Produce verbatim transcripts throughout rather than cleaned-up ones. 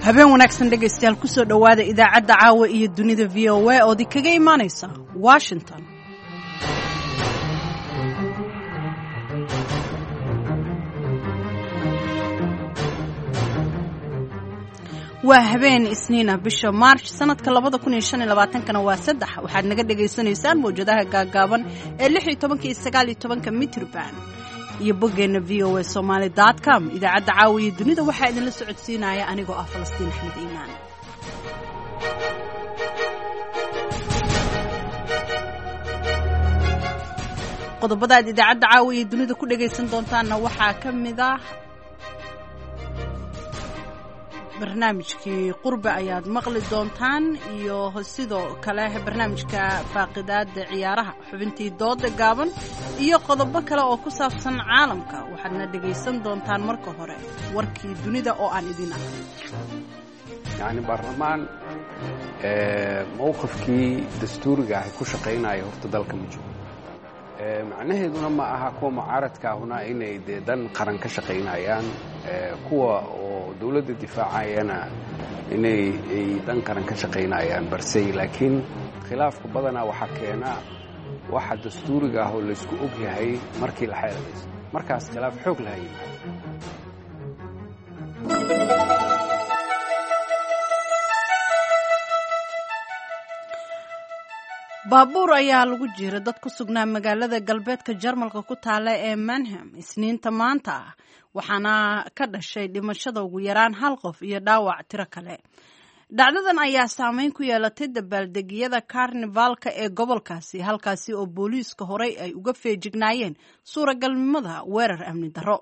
Habeen wanaagsan, dhegaystayaal. Kusoo dhowaada idaacadda Caawa iyo Dunida V O A ood kaga imaanaysa Washington. Waa habeen Isniina, bisha Maarch sanadka labada kun iyo shan iyo labaatankana waa saddex. Waxaad naga dhagaysanaysaan mawjadaha gaagaaban ee lix iyo tobanka iyo sagaal iyo tobanka mitrban iyo boggeena V O A Somaly com. Idaacadda Caawa iyo Dunida waxaa idinla socodsiinaya anigoo ah Falastiin Axmed Iimaan. Qodobada aad idaacadda Caawa iyo Dunida ku dhagaysan doontaanna waxaa ka mid ah barnaamijkii Qurbe ayaad maqli doontaan, iyo sidoo kale barnaamijka faaqidaada ciyaaraha, xubintii dooda gaaban iyo qodobo kale oo ku saabsan caalamka. Waxaadna dhegaysan doontaan marka hore warkii dunida oo aan idin ahay. Yacni, baarlamaan mowqifkii dastuuriga ahi ku shaqaynaya horta dalka ma jiro. Macnaheeduna ma aha kuwa mucaaradka ahuna inay dee dan qaran ka shaqaynayaan, kuwa oo dowladda difaacayana inay ay dan qaran ka shaqaynayaan balse. Laakiin khilaafka badanaa waxaa keena waxa dastuuriga ah oo laysku og yahay markii la xeeladayso, markaas khilaaf xoog laha yimaado. Baabuur ayaa lagu jiira dad ku sugnaa magaalada galbeedka Jarmalka ku taala ee Manham Isniinta maanta ah, waxaana ka dhashay dhimashada ugu yaraan hal qof iyo dhaawac tiro kale. Dhacdadan ayaa saameyn ku yeelatay dabaaldegyada karnivaalka ee gobolkaasi, halkaasi oo booliiska horey ay uga feejignaayeen suuragalnimada weerar amni darro.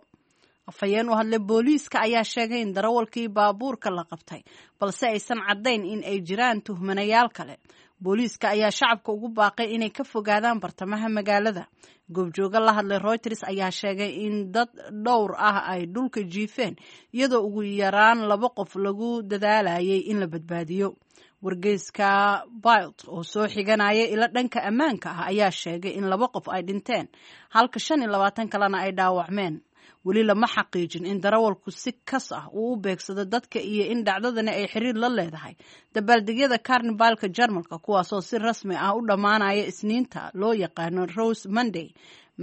Afhayeen u hadlay booliiska ayaa sheegay in darawalkii baabuurka la qabtay, balse aysan caddayn in ay jiraan tuhmanayaal kale. Booliiska ayaa shacabka ugu baaqay inay ka fogaadaan bartamaha magaalada. Goobjooga la hadlay Reuters ayaa sheegay in dad dhowr ah ay dhulka jiifeen, iyadoo ugu yaraan laba qof lagu dadaalayay in la badbaadiyo. Wargeyska Bild oo soo xiganaya ilo dhanka ammaanka ah ayaa sheegay in laba qof ay dhinteen, halka shan iyo labaatan kalena ay dhaawacmeen. Weli lama xaqiijin in darawalku si kas ah uu u beegsado dadka iyo in dhacdadani ay xiriir la leedahay dabaaldegyada karnivaalka Jarmalka, kuwaasoo si rasmi ah u dhammaanaya Isniinta loo yaqaano Rose Monday.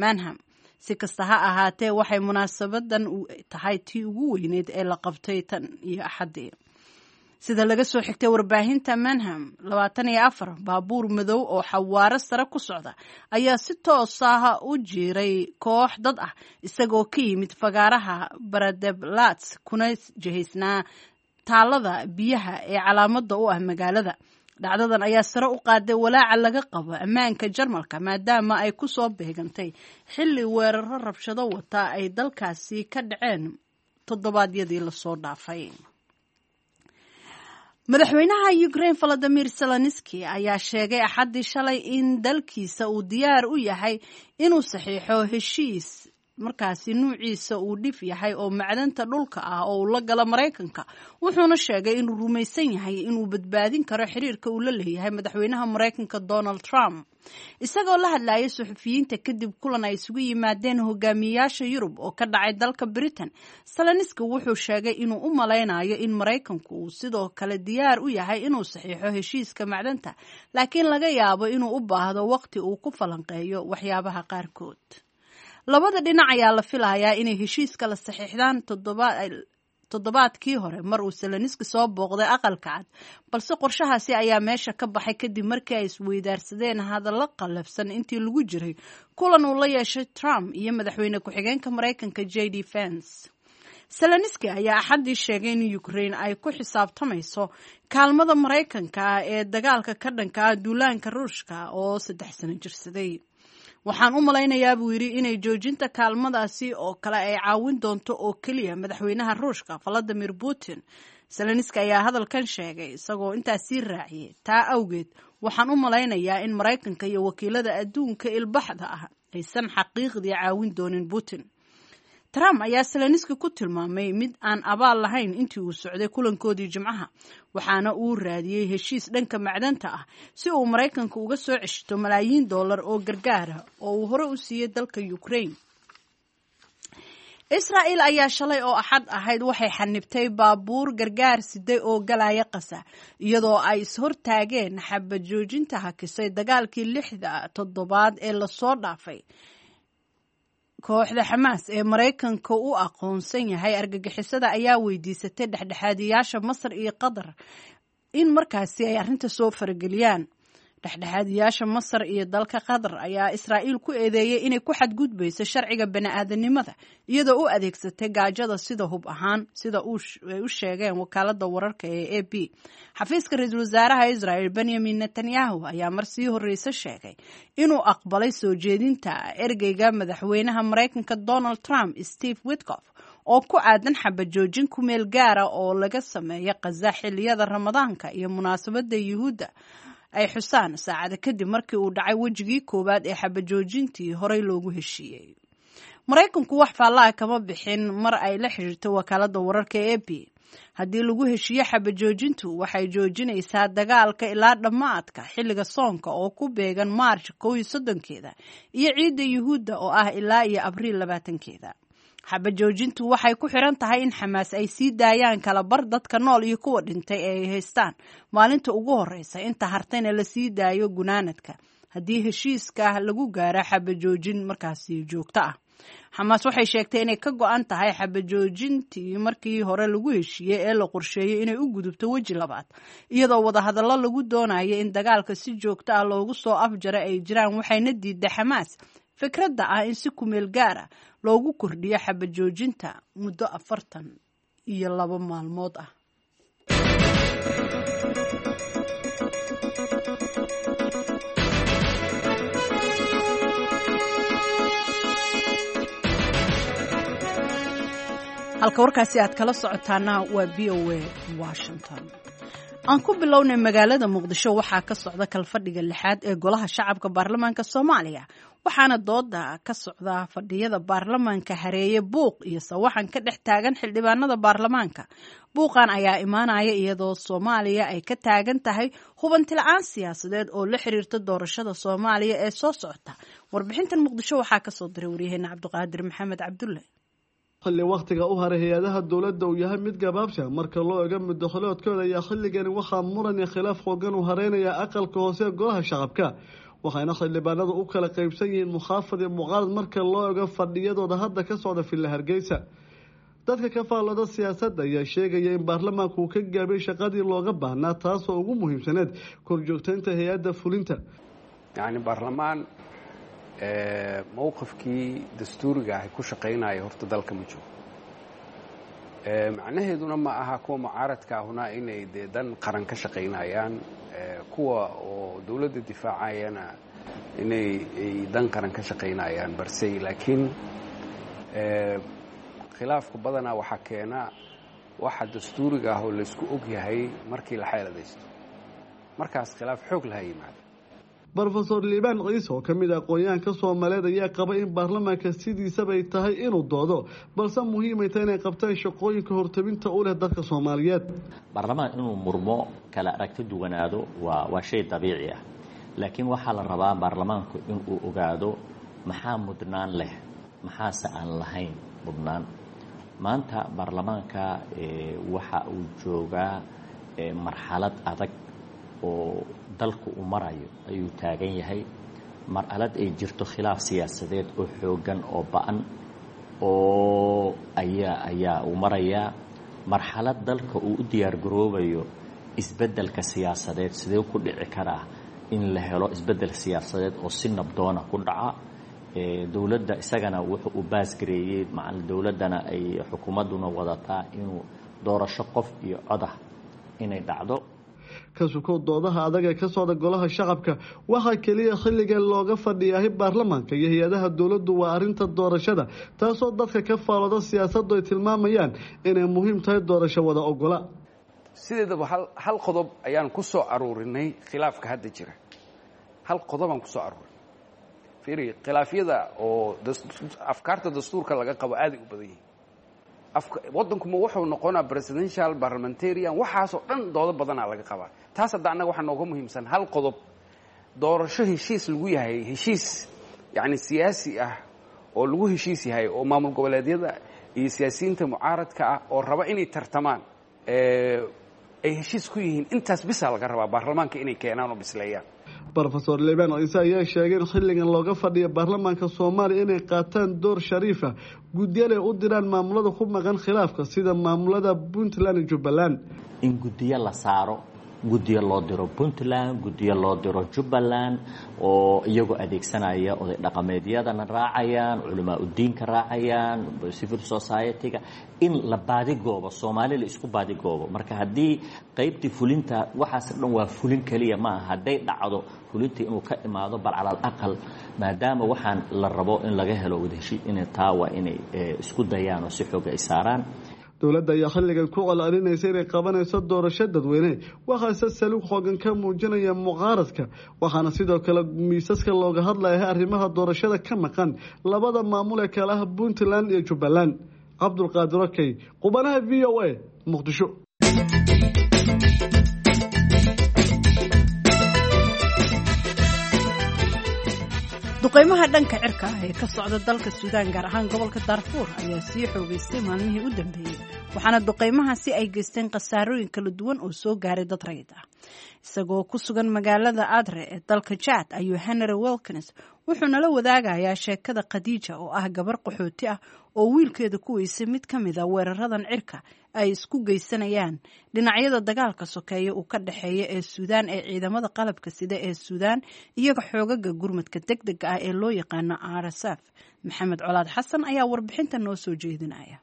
Manham, si kasta ha ahaatee, waxay munaasabadan tahay tii ugu weyneyd ee la qabtay tan iyo Axaddii. Sida laga soo xigtay warbaahinta Manham, labaatan iyo afar baabuur madow oo xawaaro sare ku socda ayaa si toos ah u jiiray koox dad ah, isagoo ka yimid fagaaraha Paradeplatz kuna jihaysnaa taalada biyaha ee calaamada u ah magaalada. Dhacdadan ayaa sare u qaaday walaaca laga qabo ammaanka Jarmalka, maadaama ay ku soo beegantay xilli weeraro rabshado wata ay dalkaasi ka dhaceen toddobaadyadii lasoo dhaafay. Madaxweynaha Ukraine Valadimir Zelenski ayaa sheegay Axaddii shalay in dalkiisa uu diyaar u yahay inuu saxiixo heshiis markaasi nuuciisa uu dhif yahay oo macdanta dhulka ah oo uu la galo Maraykanka, wuxuuna sheegay inuu rumaysan yahay inuu badbaadin karo xiriirka uu la leeyahay madaxweynaha Maraykanka Donald Trump. Isagoo la hadlayay suxufiyiinta kadib kulan ay isugu yimaadeen hogaamiyayaasha Yurub oo ka dhacay dalka Britain, Zelenski wuxuu sheegay inuu u malaynayo in Maraykanku uu sidoo kale diyaar u yahay inuu saxiixo heshiiska macdanta, laakiin laga yaabo inuu u baahdo waqti uu ku falanqeeyo waxyaabaha qaarkood. Labada dhinac ayaa la filayaa inay heshiiska la saxiixdaan toddobaadkii hore mar uu Zelenski soo booqday Aqalka Cad, balse qorshahaasi ayaa meesha ka baxay kadib markii ay isweydaarsadeen hadallo qallafsan intii lagu jiray kulan uu la yeeshay Trump iyo madaxweyne ku-xigeenka Maraykanka J D Vance. Zelenski ayaa Axaddii sheegay in Ukraine ay ku xisaabtamayso kaalmada Maraykanka ee dagaalka ka dhanka ah duulaanka Ruushka oo saddex sano jirsaday. "Waxaan u malaynayaa," buu yidhi, "inay joojinta kaalmadaasi oo kale ay caawin doonto oo keliya madaxweynaha Ruushka Valadimir Putin." Zelenski ayaa hadalkan sheegay isagoo intaas sii raaciyay, "Taa awgeed waxaan u malaynayaa in Maraykanka iyo wakiilada adduunka ilbaxda ah aysan xaqiiqdii caawin doonin Putin." Trump ayaa Zelenski ku tilmaamay mid aan abaal lahayn intii uu socday kulankoodii Jimcaha, waxaana uu raadiyey heshiis dhanka macdanta ah si uu Maraykanka uga soo ceshto malaayiin dollar oo gargaara oo uu hore u siiyey dalka Ukraine. Israa'il ayaa shalay oo Axad ahayd waxay xanibtay baabuur gargaar siday oo galaya Qasa, iyadoo ay ishortaageen xabad joojinta hakisay dagaalkii lixda toddobaad ee lasoo dhaafay. Kooxda Xamaas ee Maraykanka u aqoonsan yahay argagixisada ayaa weydiisatay dhexdhexaadiyaasha Masar iyo Qatar in markaasi ay arrinta soo farageliyaan. Dhexdhexaadiyaasha Masar iyo dalka Qatar ayaa Israa'iil ku eedeeyey inay ku xadgudbayso sharciga bani-aadanimada, iyadoo u adeegsatay gaajada sida hub ahaan, sida ay u sheegeen wakaalada wararka ee A P. Xafiiska ra-iisul wasaaraha Israel Benyamin Netanyahu ayaa mar sii horreyse sheegay inuu aqbalay soo jeedinta ergeyga madaxweynaha Maraykanka Donald Trump, Steve Witkoff, oo ku aadan xabad joojin ku meel gaara oo laga sameeya Qaza xilliyada Ramadaanka iyo munaasabadda Yuhuudda ay xusaan, saacada kadib markii uu dhacay wejigii koowaad ee xabajoojintii horey loogu heshiiyey. Maraykanku wax faallaha kama bixin mar ay la xiriirto wakaalada wararka ee A P. Haddii lagu heshiiyo xabajoojintu, waxay joojinaysaa dagaalka ilaa dhammaadka xilliga soonka oo ku beegan Maarch kow iyo soddonkeeda iyo ciidda Yuhuudda oo ah ilaa iyo Abriil labaatankeeda. Xabajoojintu waxay ku xiran tahay in Xamaas ay sii daayaan kala bar dadka nool iyo kuwa dhintay ee ay haystaan maalinta ugu horeysa, inta hartayna la sii daayo gunaanadka, haddii heshiiska lagu gaaro xabajoojin markaasi joogto ah. Xamaas waxay sheegtay inay ka go-an tahay xabajoojintii markii hore lagu heshiiyey ee la qorsheeyey inay u gudubto weji labaad, iyadoo wadahadallo lagu doonayo in dagaalka si joogto ah loogu soo afjaro ay jiraan. Waxayna diiday Xamaas fikradda ah in si kumeel gaar ah loogu kordhiyo xabajoojinta muddo afartan iyo laba maalmood ah. Halka warkaasi aad kala socotaana waa V O A Washington. Aan ku bilownay, magaalada Muqdisho waxaa ka socda kalfadhiga lixaad ee Golaha Shacabka Baarlamaanka Soomaaliya, waxaana dooda ka socda fadhiyada baarlamaanka hareeye buuq iyo sawaxan ka dhex taagan xildhibaanada baarlamaanka. Buuqan ayaa imaanaya iyadoo Soomaaliya ay ka taagan tahay hubanti la-aan siyaasadeed oo la xiriirta doorashada Soomaaliya ee soo socota. Warbixintan Muqdisho waxaa kasoo diray waryaheena Cabdiqaadir Maxamed Cabdulle. Xilli wakhtiga u haray hay-adaha dowladda uu yahay mid gabaabsha marka loo ego muddo xiloodkooda ayaa xilligani waxaa muran iyo khilaaf xoogan uu hareynaya aqalka hoose ee Golaha Shacabka, waxayna xildhibaanadu u kala qaybsan yihiin mukhaafad iyo mucaarad marka loo ego fadhiyadooda hadda ka socda Villa Hargeysa. Dadka ka faallada siyaasadda ayaa sheegaya in baarlamaanku uu ka gaabiyey shaqadii looga baahnaa, taasoo ugu muhiimsaneed korjoogtaynta hay-adda fulinta. Yacni baarlamaan mowqifkii dastuuriga ahi ku shaqaynaya horta dalka ma jiro. Macnaheeduna ma aha kuwa mucaaradka ahuna inay dee dan qaran ka shaqaynayaan, kuwa oo dowladda difaacayana inay ay dan qaran ka shaqaynayaan balse. Laakiin khilaafku badanaa waxaa keena waxa dastuuriga ah oo laysku og yahay markii la xeeladaysto, markaas khilaaf xoog laha yimaado. Brofesor Liibaan Ciise oo ka mid ah aqoon-yahanka Soomaaliyeed ayaa qaba in baarlamaanka sidiisabay tahay inuu doodo, balse muhiimay tahay inay qabtaan shaqooyinka hortabinta u leh dadka Soomaaliyeed. Baarlamaan inuu murmo, kala aragti duwanaado waa waa shay dabiici ah, laakiin waxaa la rabaa baarlamaanku inuu ogaado maxaa mudnaan leh, maxaase aan lahayn mudnaan. Maanta baarlamaanka waxa uu joogaa marxalad adag oo dalku uu marayo ayuu taagan yahay, marxalad ay jirto khilaaf siyaasadeed oo xooggan oo ba-an oo ayaa ayaa uu marayaa, marxalad dalka uu u diyaar garoobayo isbeddelka siyaasadeed. Sidee ku dhici karaa in la helo isbeddel siyaasadeed oo si nabdoona ku dhaca? Dowladda isagana wuxuu u baasgareeyey macal dowladdana ay xukuumadduna wadataa inuu doorasho qof iyo codah inay dhacdo. Ka sukow doodaha adag ee ka socda Golaha Shacabka, waxaa keliya xilligan looga fadhiyahay baarlamaanka iyo hay-adaha dowladdu waa arrinta doorashada, taasoo dadka ka faalooda siyaasaddu ay tilmaamayaan inay muhiim tahay doorasho wada ogola. Sideedaba hal hal qodob ayaan ku soo aruurinay khilaafka hadda jira. Hal qodobaan ku soo aruurinay. Fiiri, khilaafyada oo afkaarta dastuurka laga qabo aaday u badan yihiin. Waddankuma wuxuu noqonaa presidential, parliamentarian, waxaasoo dhan doodo badanaa laga qabaa. Taas hadda annaga waxaa nooga muhiimsan hal qodob: doorasho heshiis lagu yahay, heshiis yacni siyaasi ah oo lagu heshiis yahay oo maamul goboleedyada iyo siyaasiyiinta mucaaradka ah oo raba inay tartamaan ay heshiis ku yihiin. Intaas bisaa laga rabaa baarlamaanka inay keenaan oo bisleeyaan. Brofesor Liibaan Ciise ayaa sheegay in xilligan looga fadhiyo baarlamaanka Soomaaliya inay qaataan door shariifa, guddiyana ay u diraan maamulada ku maqan khilaafka sida maamulada Puntland iyo Jubbaland. In guddiyo la saaro, guddiyo loo diro Puntland, guddiyo loo diro Jubbaland, oo iyagoo adeegsanaya oday dhaqameedyadana raacayaan, culamaa udiinka raacayaan, civil society-ga, in la baadigoobo, Soomaali la isku baadigoobo. Marka haddii qaybtii fulinta, waxaas dhan waa fulin keliya maaha, hadday dhacdo fulintii inuu ka imaado, bal cala alaqal maadaama waxaan la rabo in laga helo wadaheshiis, in taa waa inay isku dayaan oo si xooga ay saaraan. Dowladda ayaa xilligan ku colcelinaysa inay qabanayso doorasho dadweyne, waxaase saluug xoogan ka muujinaya mucaaradka, waxaana sidoo kale miisaska looga hadlaya arrimaha doorashada ka maqan labada maamul ee kale ah Puntland iyo Jubbaland. Cabdulqaadir Okey, qubanaha V O A, Muqdisho. Duqeymaha dhanka cirka ah ee ka socda dalka Suudaan, gaar ahaan gobolka Daarfuur, ayaa sii xoogeystay maalmihii u dambeeyey, waxaana duqeymahaasi ay geysteen khasaarooyin kala duwan oo soo gaaray dad rayid ah. Isagoo ku sugan magaalada Adre ee dalka Jaad ayuu Henry Wilkins wuxuu nala wadaagayaa sheekada Khadiija oo ah gabar qaxooti ah oo wiilkeeda ku weysay mid ka mid a weeraradan cirka ay isku geysanayaan dhinacyada dagaalka sokeeya uu ka dhexeeya ee Suudaan ee ciidamada qalabka sida ee Suudaan iyaga xoogaga gurmadka deg dega ah ee loo yaqaano R S F. Maxamed Colaad Xasan ayaa warbixinta noo soo jeedinaya.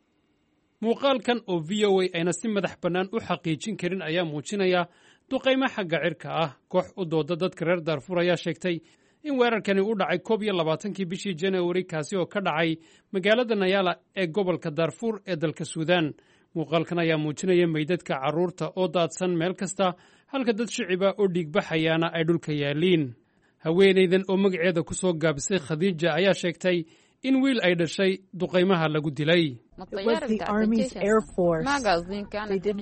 Muuqaalkan oo V O A ayna si madax bannaan u xaqiijin karin ayaa muujinaya duqaymo xagga cirka ah. Koox u dooda dadka reer Daarfuur ayaa sheegtay in weerarkani u dhacay koob iyo labaatankii bishii Januari, kaasi oo ka dhacay magaalada Nayala ee gobolka Daarfuur ee dalka Suudaan. Muuqaalkan ayaa muujinaya meydadka carruurta oo daadsan meel kasta, halka dad shiciba oo dhiigbaxayaana ay dhulka yaaliin. Haweenaydan oo magaceeda ku soo gaabisay Khadiija ayaa sheegtay in wiil ay dhashay duqaymaha lagu dilay.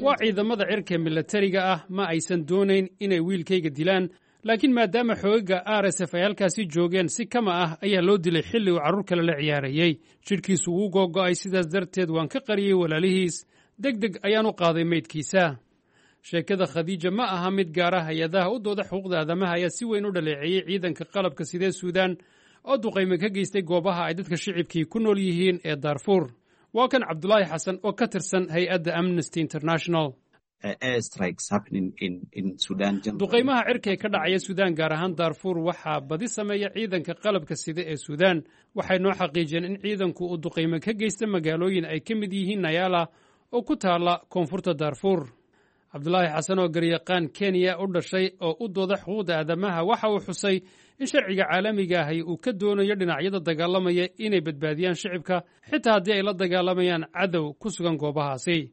Waa ciidamada cirka milatariga ah, ma aysan doonayn inay wiilkayga dilaan, laakiin maadaama xoogaga R S F ay halkaasi joogeen, si kama ah ayaa loo dilay xilli uu carruur kale la ciyaarayey. Jidhkiisu wuu googo'ay, sidaas darteed waan ka qariyey walaalihiis. Deg deg ayaan u qaaday meydkiisa. Sheekada Khadiija ma aha mid gaara. Hay-adaha u dooda xuquuqda aadamaha ayaa si weyn u dhaleeceeyey ciidanka qalabka sidee Suudaan oo duqayme ka geystay goobaha ay dadka shicibkii ku nool yihiin ee Daarfuur. Waa kan Cabdulaahi Xasan oo ka tirsan hay-adda Amnesty International. Duqaymaha cirka ee ka dhacaya Suudaan, gaar ahaan Daarfuur, waxaa badi sameeya ciidanka qalabka sida ee Suudaan. Waxay noo xaqiijiyeen in ciidanku uu duqayme ka geysta magaalooyin ay ka mid yihiin Nayala oo ku taala koonfurta Daarfuur. Cabdulaahi Xasan oo garyaqaan Kenya u dhashay oo u dooda xuquuqda aadamaha waxa uu xusay in sharciga caalamiga ahi uu ka doonayo dhinacyada dagaalamaya inay badbaadiyaan shicibka, xitaa haddii ay la dagaalamayaan cadow ku sugan goobahaasi.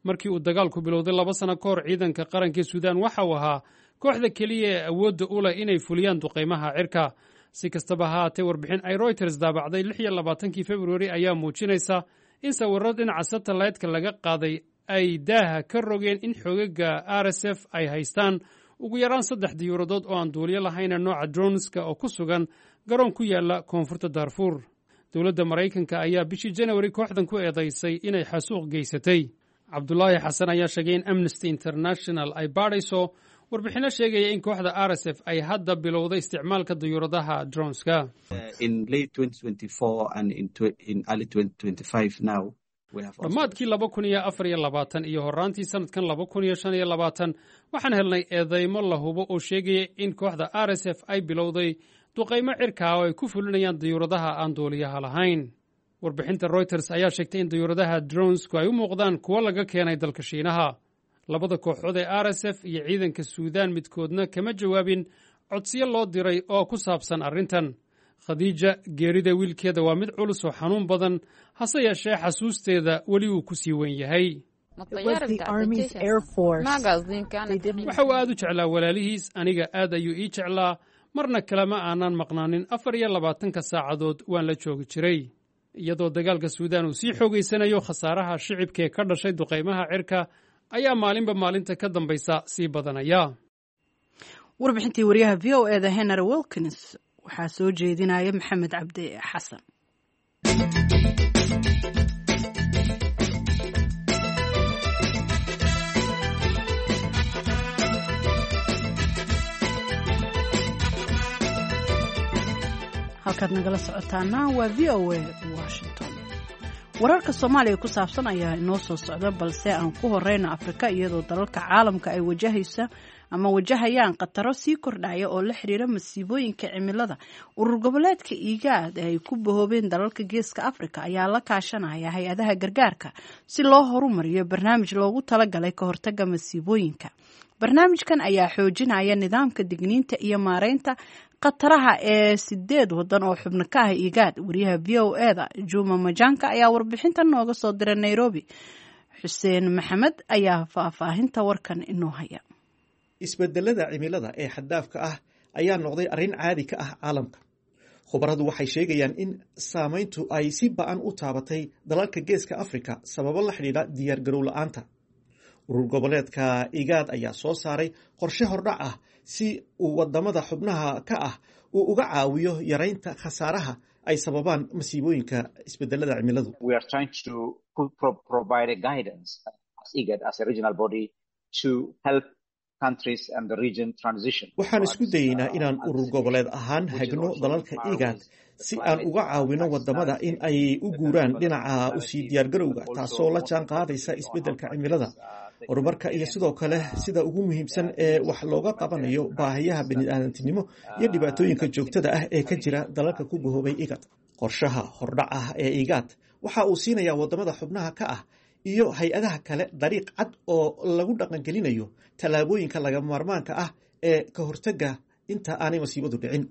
Markii uu dagaalku bilowday laba sano ka hor, ciidanka qarankii Suudaan waxa uu ahaa kooxda keliya ee awoodda u leh inay fuliyaan duqaymaha cirka. Si kastaba ha haatee, warbixin ay Reuters daabacday lix iyo labaatankii Februari ayaa muujinaysa in sawirro dhinaca satellite-ka laga qaaday ay daaha ka rogeen in xoogaga R S F ay haystaan ugu yaraan saddex diyuuradood oo aan duuliyo lahayna nooca droneska oo ku sugan garoon ku yaala koonfurta Daarfuur. Dowladda Maraykanka ayaa bishii Janawari kooxdan ku eedaysay inay xasuuq geysatay. Cabdulaahi Xasan ayaa sheegay in Amnesty International ay baadhayso warbixinno sheegaya in kooxda R S F ay hadda bilowday isticmaalka diyuuradaha droneska. Dhammaadkii laba kun iyo afar iyo labaatan iyo horraantii sanadkan laba kun iyo shan iyo labaatan waxaan helnay eedeymo la hubo oo sheegaya in kooxda R S F ay bilowday duqaymo cirkaa oo ay ku fulinayaan diyuuradaha aan duuliyaha lahayn. Warbixinta Reuters ayaa sheegtay in diyuuradaha dronesku ay u muuqdaan kuwo laga keenay dalka Shiinaha. Labada kooxood ee R S F iyo ciidanka Suudaan midkoodna kama jawaabin codsiyo loo diray oo ku saabsan arrintan. Khadiija geerida wiilkeeda waa mid culus oo xanuun badan, hase yeeshee xasuusteeda weli wuu ku sii weyn yahay. Waxa uu aad u jeclaa walaalihiis, aniga aad ayuu ii jeclaa, marna kalema aanan maqnaanin, afar iyo labaatanka saacadood waan la joogi jiray. Iyadoo dagaalka Suudaan uu sii xoogaysanayo, khasaaraha shicibka ee ka dhashay duqaymaha cirka ayaa maalinba maalinta ka dambaysa sii badanaya. Warbixintii wariyaha V O E da Henry Wilkins waxaa soo jeedinaya Maxamed Cabdi Xasan. Halkaad nagala socotaana waa V O A Washington. Wararka Soomaaliya ku saabsan ayaa inoo soo socda, balse aan ku horeyna Afrika, iyadoo dalalka caalamka ay wajahaysa ama wajahayaan khataro sii kordhaya oo la xiriira masiibooyinka cimilada. Urur goboleedka IGAD ee ay ku bahoobeen dalalka Geeska Afrika ayaa la kaashanaya hay-adaha gargaarka si loo horumariyo barnaamij loogu talagalay ka hortaga masiibooyinka. Barnaamijkan ayaa xoojinaya nidaamka digniinta iyo maareynta khataraha ee sideed wadan oo xubno ka ah IGAD. Wariyaha V O E-da Juma Majanka ayaa warbixintan nooga soo diray Nairobi. Xuseen Maxamed ayaa faahfaahinta warkan inoo haya. Isbedelada cimilada ee xaddaafka ah ayaa noqday arrin caadi ka ah caalamka. Khubaradu waxay sheegayaan in saamayntu ay si ba'an u taabatay dalalka Geeska Afrika sababo la xidhiidha diyaargarow la'aanta. Urur goboleedka IGAD ayaa soo saaray qorshe hordhac ah si uu wadamada xubnaha ka ah uu uga caawiyo yaraynta khasaaraha ay sababaan masiibooyinka isbedelada cimiladu. We are trying to pro- provide a guidance as IGAD, as a regional body, to help countries and the region transition. Waxaan isku dayeynaa inaan urur goboleed ahaan hagno dalalka IGAD si aan uga caawino wadamada in ay u guuraan dhinaca usii diyaargarowga, taasoo la jaan qaadaysa isbedelka cimilada, horumarka iyo sidoo kale sida ugu muhiimsan ee wax looga qabanayo baahiyaha bini'aadantinimo iyo dhibaatooyinka joogtada ah ee ka jira dalalka ku bahoobay IGAD. Qorshaha hordhac ah ee IGAD waxa uu siinayaa wadamada xubnaha ka ah iyo hay-adaha kale dariiq cad oo lagu dhaqangelinayo tallaabooyinka lagama maarmaanka ah ee ka hortagga inta aanay masiibadu dhicin.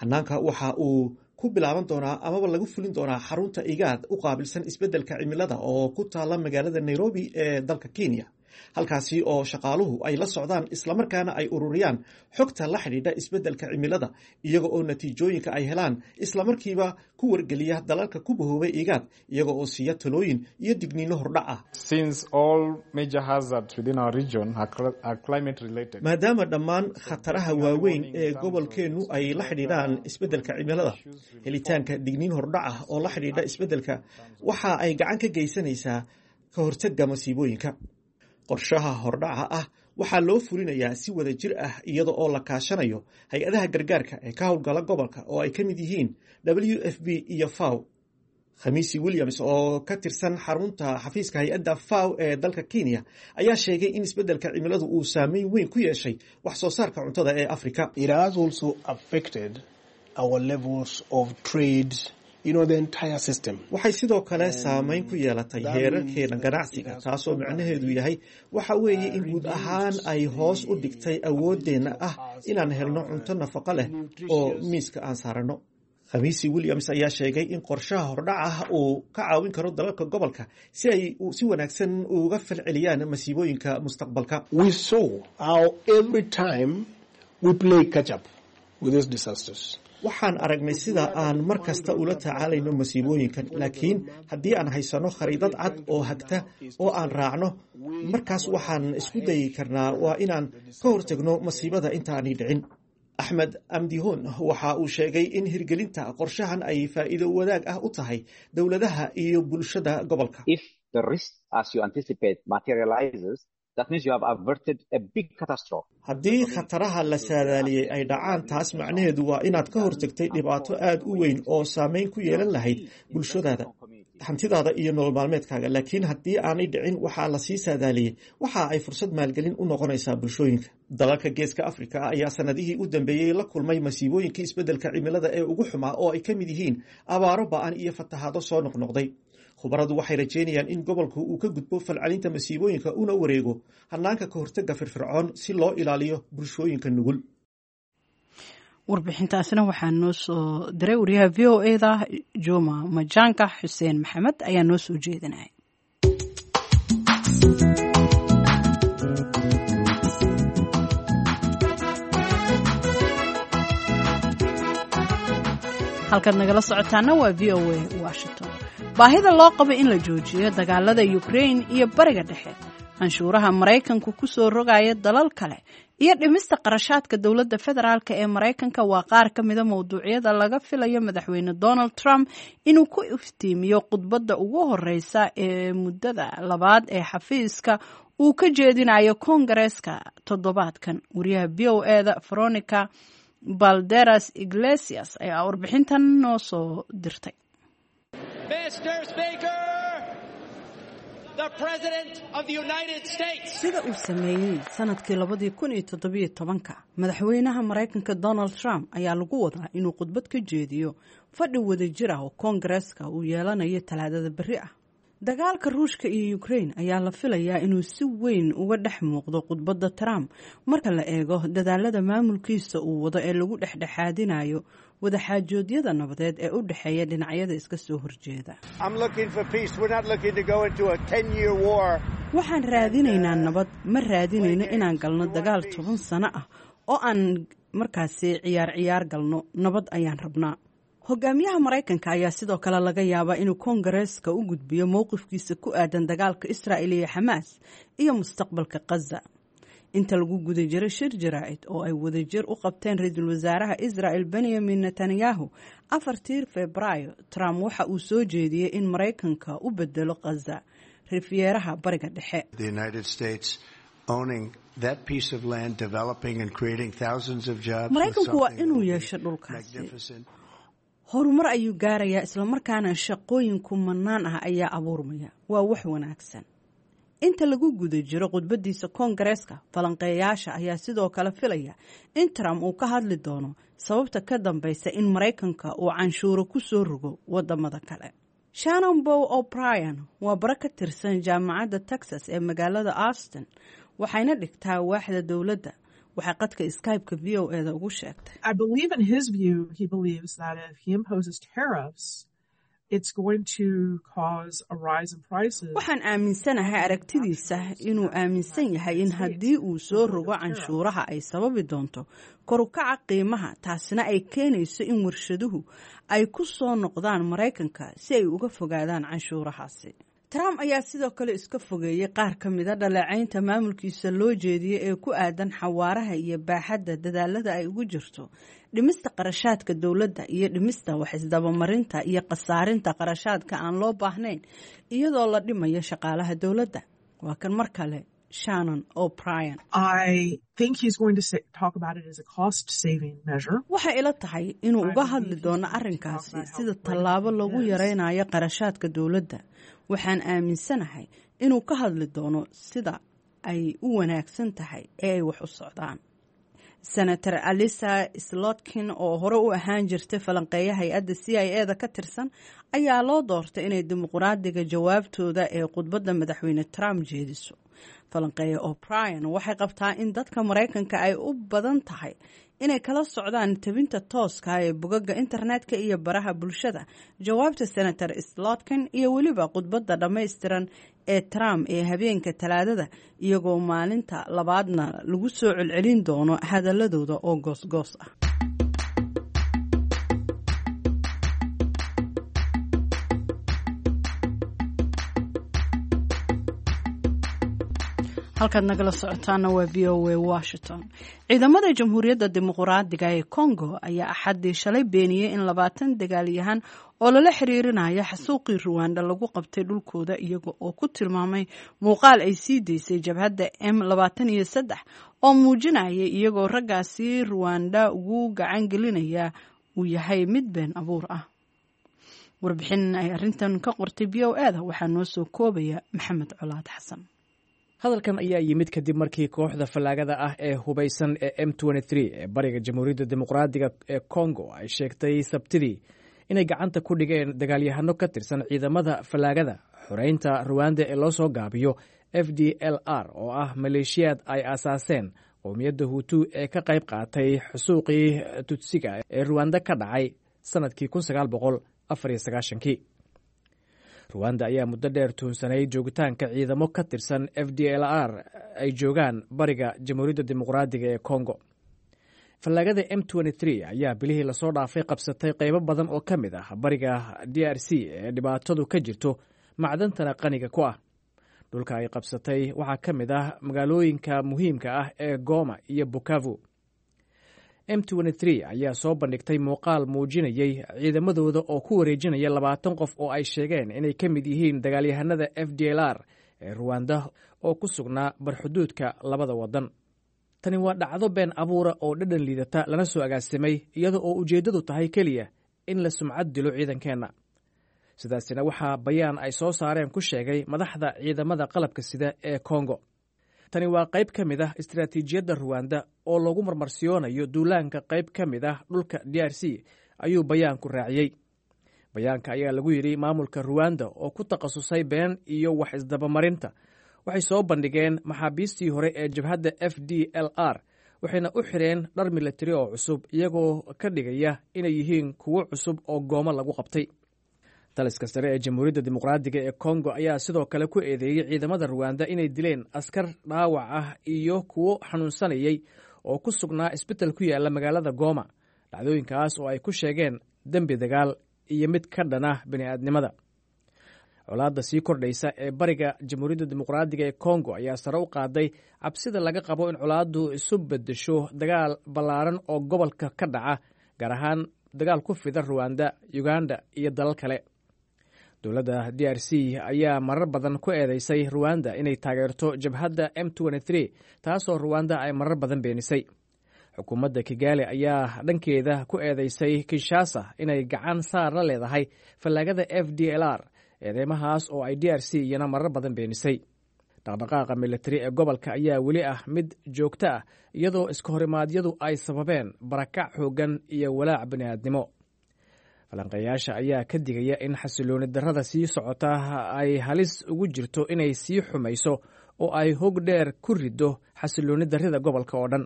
Hanaanka waxa uu ku bilaaban doonaa amaba lagu fulin doonaa xarunta IGAD u qaabilsan isbeddelka cimilada oo ku taala magaalada Nairobi ee dalka Kenya, halkaasi oo shaqaaluhu ay la socdaan islamarkaana ay ururiyaan xogta la xidhiidha isbeddelka cimilada, iyaga oo natiijooyinka ay helaan islamarkiiba ku wargeliya dalalka ku bahoobay IGAD, iyaga oo siiya talooyin iyo digniino hordhac ah. Since all major hazards within our region are, cl- are climate related. Maadaama dhammaan khataraha waaweyn ee gobolkeennu ay la xidhiidhaan isbeddelka cimilada, helitaanka digniin hordhac ah oo la xidhiidha isbeddelka waxa ay gacan ka geysanaysaa ka hortagga masiibooyinka. Qorshaha hordhaca ah waxaa loo fulinayaa si wada jir ah iyada oo la kaashanayo hay-adaha gargaarka ee ka howlgala gobolka oo ay ka mid yihiin W F P iyo FAO. Khamiisi Williams oo ka tirsan xarunta xafiiska hay-adda FAO ee dalka Kenya ayaa sheegay in isbeddelka cimiladu uu saameyn weyn ku yeeshay wax soo saarka cuntada ee Afrika. It has also affected our levels of trade, you know, the entire system. Waxay sidoo kale saameyn ku yeelatay heerarkeena ganacsiga, taasoo micnaheedu yahay waxa weeye in guud ahaan ay hoos u dhigtay awooddeenna ah inaan helno cunto nafaqo leh oo miiska aan saaranno. Khamiisi Williams ayaa sheegay in qorshaha hordhac ah uu ka caawin karo dalalka gobolka si ay si wanaagsan uga falceliyaan masiibooyinka mustaqbalka. We saw how every time we play catch up with these disasters. Waxaan aragnay sida aan mar kasta ula tacaalayno masiibooyinkan, laakiin haddii aan haysano khariidad cad oo hagta oo aan raacno, markaas waxaan isku dayi karnaa waa inaan ka hortagno masiibada intaanay dhicin. Axmed Amdihon waxa uu sheegay in hirgelinta qorshahan ay faa'iido wadaag ah u tahay dowladaha iyo bulshada gobolka. If the risk, as you anticipate, materializes, that means you have averted a big catastrophe. Haddii khataraha la saadaaliyey ay dhacaan, taas macnaheedu waa inaad ka hortagtay dhibaato aad u weyn oo saameyn ku yeelan lahayd bulshadaada, hantidaada iyo nolol maalmeedkaaga. Laakiin haddii aanay dhicin waxaa lasii saadaaliyey, waxa ay fursad maalgelin u noqonaysaa bulshooyinka. Dalalka Geeska Afrika ayaa sanadihii u dambeeyey la kulmay masiibooyinkii isbeddelka cimilada ee ugu xumaa, oo ay ka mid yihiin abaaro ba'an iyo fatahaado soo noqnoqday. Khubaradu waxay rajeynayaan in gobolku uu ka gudbo falcelinta masiibooyinka una wareego hanaanka ka hortagga firfircoon si loo ilaaliyo bulshooyinka nugul. Warbixintaasina waxaa noo soo diray wariyaha V O E-da Juma Majanka. Xuseen Maxamed ayaa noo soo jeedinaya. Halkaad nagala socotaana waa V O A Washington. Baahida loo qabo in la joojiyo dagaalada Ukraine iyo Bariga Dhexe, canshuuraha Maraykanku ku soo rogaya dalal kale iyo dhimista qarashaadka dowladda federaalk ee Maraykanka waa qaar ka mida mowduucyada laga filayo madaxweyne Donald Trump inuu ku iftiimiyo khudbadda ugu horeysa ee muddada labaad ee xafiiska uu ka jeedinayo Koongareeska toddobaadkan. Wariyaha V O E-da Veronica Balderas Iglesias ayaa warbixintan noo soo dirtay. Sida uu sameeyey sanadkii labadii kun iyo toddobiyo tobanka, madaxweynaha Maraykanka Donald Trump ayaa lagu wadaa inuu khudbad ka jeediyo fadhi wadajir ah oo koongareeska uu yeelanayo Talaadada berri ah. Dagaalka Ruushka iyo Ukraine ayaa la filayaa inuu si weyn uga dhex muuqdo khudbadda Trump, marka la eego dadaalada maamulkiisa uu wado ee lagu dhexdhexaadinayo wadaxaajoodyada nabadeed ee u dhexeeya dhinacyada iska soo horjeeda. Waxaan raadinaynaa nabad, ma raadinayno inaan galno dagaal toban sano ah oo aan markaasi ciyaar ciyaar galno. Nabad ayaan rabnaa. Hogaamiyaha Maraykanka ayaa sidoo kale laga yaabaa inuu koongareeska u gudbiyo mowqifkiisa ku aadan dagaalka Israa'il iyo Xamaas iyo mustaqbalka Khaza. Inta lagu guda jiray shir jaraa'id oo ay wadajir u qabteen ra-iisul wasaaraha Israa'el Benyamin Netanyahu afartii Febraayo, Trump waxa uu soo jeediyey in Maraykanka u bedelo Khaza rifyeeraha Bariga Dhexe. Maraykanku waa inuu yeesho dhulkaasi, horumar ayuu gaarayaa, islamarkaana shaqooyin kumanaan ah ayaa abuurmaya. Waa wax wanaagsan. Inta lagu guda jiro khudbadiisa koongareeska, falanqeeyaasha ayaa sidoo kale filaya in Trump uu ka hadli doono sababta ka dambeysa in Maraykanka uu canshuuro ku soo rogo wadamada kale. Shannon Bow O'Brien waa baro ka tirsan Jaamacadda Texas ee magaalada Austin, waxayna dhigtaa waaxda dowladda. Waxay qadka Skype-ka V O E da ugu sheegtay: Waxaan aaminsanahay aragtidiisa inuu aaminsan yahay in haddii uu soo rogo canshuuraha ay sababi doonto korukaca qiimaha, taasina ay keenayso in warshaduhu ay ku soo noqdaan Maraykanka si ay uga fogaadaan canshuurahaasi. Trump ayaa sidoo kale iska fogeeyey qaar ka mida dhaleecaynta maamulkiisa loo jeediyey ee ku aadan xawaaraha iyo baaxadda dadaalada ay ugu jirto dhimista qarashaadka dowladda iyo dhimista wax isdabamarinta iyo khasaarinta qarashaadka aan loo baahnayn, iyadoo la dhimayo shaqaalaha dowladda. Waa kan mar kale Shannon O'Brien. Waxay ila tahay inuu uga hadli doono arrinkaasi sida tallaabo lagu yaraynayo qarashaadka dowladda. Waxaan aaminsanahay inuu ka hadli doono sida ay u wanaagsan tahay ee ay wax u socdaan. Senator Alisa Slotkin, oo hore u ahaan jirtay falanqeeya hay-adda C I A da ka tirsan, ayaa loo doortay inay dimuqraadiga jawaabtooda ee khudbadda madaxweyne Trump jeediso. Falanqeeya O'Brien waxay qabtaa in dadka Maraykanka ay u badan tahay inay kala socdaan tabinta tooska ee bogaga internetka iyo baraha bulshada jawaabta Senator Slotkin iyo weliba khudbadda dhammaystiran ee Trump ee habeenka Talaadada, iyagoo maalinta labaadna lagu soo celcelin doono hadaladooda oo goosgoos ah. Halkaad nagala socotaana waa V O A Washington. Ciidamada Jamhuuriyadda Dimuqraadiga ee Congo ayaa Axaddii shalay beeniyey in labaatan dagaalyahan oo lala xiriirinayo xasuuqii Ruwanda lagu qabtay dhulkooda, iyaga oo ku tilmaamay muuqaal ay sii daysay jabhadda M labaatan iyo saddex oo muujinaya iyagoo raggaasi Ruwanda ugu gacan gelinaya uu yahay mid been abuur ah. Warbixin ay arrintan ka qortay V O E da waxaa noo soo koobaya Maxamed Colaad Xasan. Hadalkan ayaa yimid kadib markii kooxda fallaagada ah ee hubaysan ee M ee bariga Jamhuuriyadda Dimuqraadiga ee Congo ay sheegtay Sabtidii inay gacanta ku dhigeen dagaalyahano ka tirsan ciidamada fallaagada xoreynta Ruwanda ee loo soo gaabiyo F D L R, oo ah maleeshiyaad ay aasaaseen qowmiyadda Huutu ee ka qayb qaatay xusuuqii Tutsiga ee Ruwanda ka dhacay sannadkii kii. Ruwanda ayaa muddo dheer tuhunsanay joogitaanka ciidamo ka tirsan F D L R ay joogaan bariga Jamhuuriyadda Dimuqraadiga ee Congo. Fallaagada M ayaa bilihii lasoo dhaafay qabsatay qaybo badan oo ka mid ah bariga D R C ee dhibaatadu ka jirto, macdantana qaniga ku ah. Dhulka ay qabsatay waxaa ka mid ah magaalooyinka muhiimka ah ee Goma iyo Bukavu. M ayaa soo bandhigtay muuqaal muujinayey ciidamadooda oo ku wareejinaya labaatan qof oo ay sheegeen inay ka mid yihiin dagaalyahanada F D L R ee Ruwanda oo ku sugnaa barxuduudka labada waddan. Tani waa dhacdo been abuura oo dhadhan liidata lana soo agaasimay, iyada oo ujeeddadu tahay keliya in la sumcad dilo ciidankeenna. Sidaasina waxaa bayaan ay soo saareen ku sheegay madaxda ciidamada qalabka sida ee Kongo. Tani waa qayb ka mid ah istaraatiijiyadda Ruwanda oo lagu marmarsiyoonayo duulaanka qayb ka mid ah dhulka D R C, ayuu bayaanku raaciyey. Bayaanka ayaa lagu yidhi, maamulka Ruwanda oo ku takhasusay been iyo wax isdabamarinta waxay soo bandhigeen maxaabiistii hore ee jabhadda F D L R, waxayna u xireen dhar milatari oo cusub, iyagoo ka dhigaya inay yihiin kuwo cusub oo Gooma lagu qabtay. Taliska sare ee Jamhuuriyadda Dimuqraadiga ee Kongo ayaa sidoo kale ku eedeeyey ciidamada Ruwanda inay dileen askar dhaawac ah iyo kuwo xanuunsanayay oo ku sugnaa isbital ku yaala magaalada Gooma, dhacdooyinkaas oo ay ku sheegeen dembi dagaal iyo mid ka dhana bini'aadnimada. Colaadda sii kordhaysa ee bariga Jamhuuriyadda Dimuqraadiga ee Kongo ayaa sare u qaaday cabsida laga qabo in colaaddu isu beddesho dagaal ballaaran oo gobolka ka dhaca, gaar ahaan dagaal ku fida Ruwanda, Uganda iyo dalal kale. Dowladda D R C ayaa marar badan ku eedeysay Ruwanda inay taageerto jabhadda M, taasoo Ruwanda ay marar badan beenisay. Xukuumadda Kigali ayaa dhankeeda ku eedeysay Kinshasa inay gacan saar la leedahay fallaagada F D L R, eedeymahaas oo ay D R C iyana marar badan beenisay. Dhaqdhaqaaqa militari ee gobolka ayaa weli ah mid joogto ah, iyadoo iska horimaadyadu ay sababeen barakac xooggan iyo walaac bini'aadnimo. Falanqeeyaasha ayaa ka digaya in xasilooni darrada sii socota ay halis ugu jirto inay sii xumayso oo ay hog dheer ku riddo xasilooni darrida gobolka oo dhan.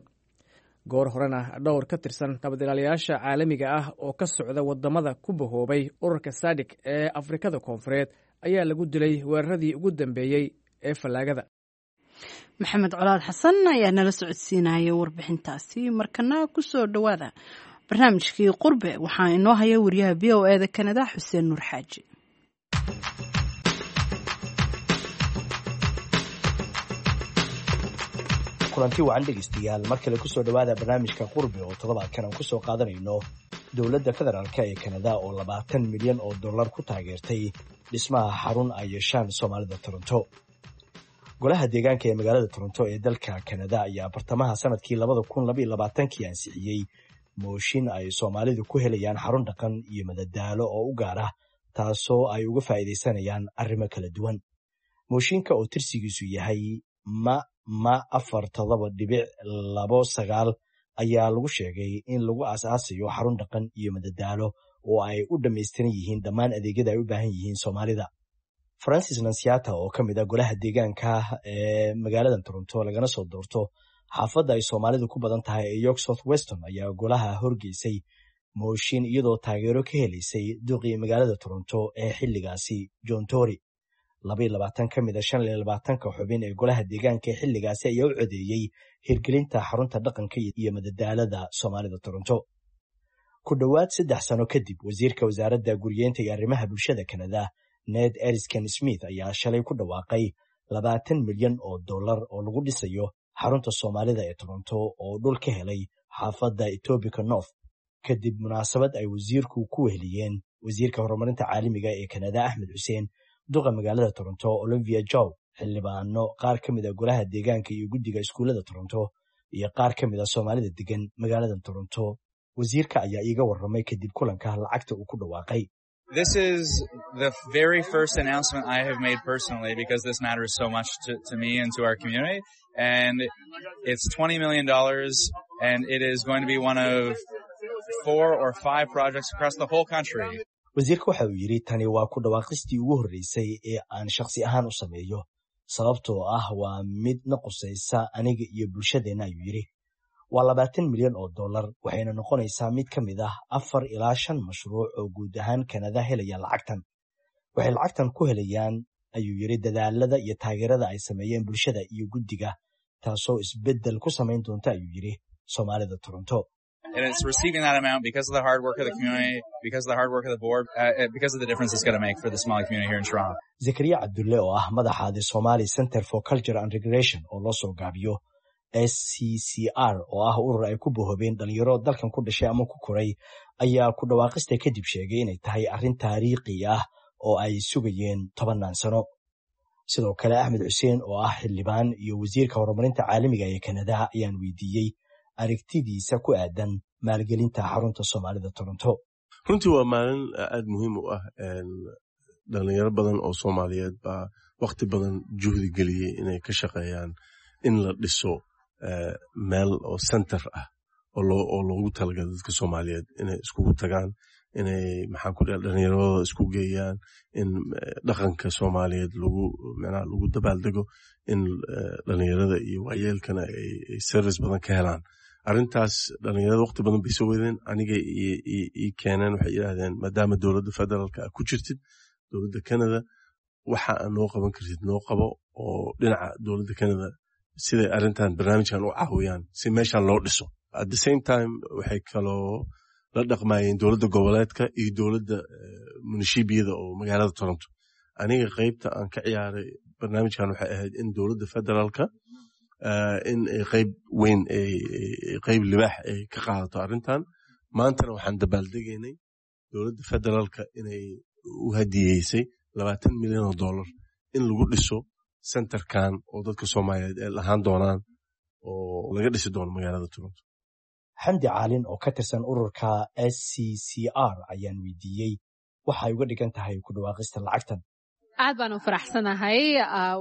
Goor horena dhowr ka tirsan nabadilaalayaasha caalamiga ah oo ka socda wadamada ku bahoobay ururka SADC ee Afrikada Koonfureed ayaa lagu dilay weeraradii ugu dambeeyey ee fallaagada. Maxamed Colaad Xasan ayaa nala socodsiinaya warbixintaasi. Markana kusoo dhowaada barnaamijkii Qurbe. Waxaa inoo haya wariyaha V O E da Kanada, Xuseen Nuur Xaaji. Kulanti wacan, dhegeystayaal. Mar kale kusoo dhowaada barnaamijka Qurbe oo toddobaadkan aan kusoo qaadanayno dowladda federaalka ee Kanada oo labaatan milyan oo dollar ku taageertay dhismaha xarun ay yeeshaan Soomaalida Toronto. Golaha deegaanka ee magaalada Toronto ee dalka Kanada ayaa bartamaha sanadkii labada kun labaiyo labaatankii ansixiyey mooshin ay Soomaalidu ku helayaan xarun dhaqan iyo madadaalo oo u gaar ah, taasoo ay uga faa'iidaysanayaan arrimo kala duwan. Mooshinka oo tirsigiisu yahay ma ma afar todoba dhibic labo sagaal ayaa lagu sheegay in lagu aasaasayo xarun dhaqan iyo madadaalo oo ay u dhammaystiran yihiin dhammaan adeegyada ay u baahan yihiin Soomaalida. Francis Nansiata oo ka mid ah golaha deegaanka ee magaalada Toronto lagana soo doorto xaafadda ay Soomaalidu ku badan tahay ee York South Weston ayaa golaha horgeysay mooshin, iyadoo taageero ka helaysay duqii magaalada Toronto ee xilligaasi, John Tory. Laba iyo labaatan ka mid a shan iyo labaatanka xubin ee golaha deegaanka ee xilligaasi ayaa u codeeyey hirgelinta xarunta dhaqanka iyo madadaalada Soomaalida Toronto. Ku dhowaad saddex sano kadib, wasiirka wasaaradda guriyeynta iyo arrimaha bulshada Kanada, Ned Erisken Smith, ayaa shalay ku dhawaaqay labaatan milyan oo dollar oo lagu dhisayo xarunta Soomaalida ee Toronto oo dhul ka helay xaafadda Etobicoke North, kadib munaasabad ay wasiirku ku weheliyeen wasiirka horumarinta caalamiga ee Kanada, Axmed Xuseen, duqa magaalada Toronto, Olivia Chow, xildhibaano, qaar ka mid a golaha deegaanka iyo guddiga iskuullada Toronto iyo qaar ka mid a Soomaalida degan magaalada Toronto. Wasiirka ayaa iiga warramay kadib kulanka lacagta uu ku dhawaaqay. This is the very first announcement I have made personally because this matters so much to, to me and to our community. And it's twenty million dollars and it is going to be one of four or five projects across the whole country. Wasiirka waxa uu yidhi, tani waa ku dhawaaqistii ugu horreysay ee aan shakhsi ahaan u sameeyo, sababtoo ah waa mid na qusaysa aniga iyo bulshadeenna, ayuu yidhi. Waa labaatan milyan oo dollar, waxayna noqonaysaa mid ka mid ah afar ilaa shan mashruuc oo guud ahaan Kanada helaya lacagtan. Waxay lacagtan ku helayaan, ayuu yidhi, dadaalada iyo taageerada ay sameeyeen bulshada iyo guddiga, taasoo isbeddel ku samayn doonta, ayuu yidhi, Soomaalida Toronto. And it's receiving that amount because of the hard work of the community, because of the hard work of the board, uh, because of the difference it's going to make for the Somali community here in Toronto. Zakariya Cabdulle oo ah madaxa the Somali Center for Culture and Recreation oo loo soo gaabiyo S C C R, oo ah urur ay ku bohobeen dhalinyaro dalkan ku dhashay ama ku koray, ayaa ku dhawaaqista kadib sheegay inay tahay arrin taariikhi ah oo ay sugayeen tobannaan sano. Sidoo kale Axmed Xuseen oo ah xildhibaan iyo wasiirka horumarinta caalamiga ee Kanada ayaan weydiiyey aragtidiisa ku aadan maalgelinta xarunta Soomaalida Toronto. Runtii waa maalin aad muhiim u ah. Dhalinyaro badan oo Soomaaliyeed baa wakhti badan juhdi geliyey inay ka shaqeeyaan in la dhiso meel oo center ah oo loogu talagalo dadka Soomaaliyeed inay iskugu tagaan, inay maxaan ku dhaha dhalinyaradooda isku geeyaan, in dhaqanka Soomaaliyeed lagu macnaha lagu dabaaldego, in dhalinyarada iyo waayeelkana ay service badan ka helaan. Arrintaas dhalinyarada waqti badan bay soo wadeen, aniga ii keeneen, waxay yidhaahdeen maadaama dowladda federaalka a ku jirtid, dowladda Canada, waxa aad noo qaban kartid noo qabo, oo dhinaca dowladda Canada siday arrintan barnaamijkan u caawiyaan si meeshan loo dhiso. At the same time waxay kaloo la dhaqmayeen dowladda goboleedka iyo dowladda munishibiyada oo magaalada Toronto. Aniga qaybta aan ka ciyaaray barnaamijkan waxay ahayd in dowladda federaalka in ay qayb weyn, qayb libaax ay ka qaadato arrintan. Maantana waxaan dabaaldegaynay dowladda federaalka inay u hadiyeysay labaatan milyan oo dollar in lagu dhiso centerkan oo dadka Soomaaliyeed ay lahaan doonaan oo laga dhisi doono magaalada Toronto. Xamdi Caalin oo ka tirsan ururka S C C R ayaan weydiiyey waxay uga dhigan tahay ku dhawaaqista lacagtan. Aad baan u faraxsanahay.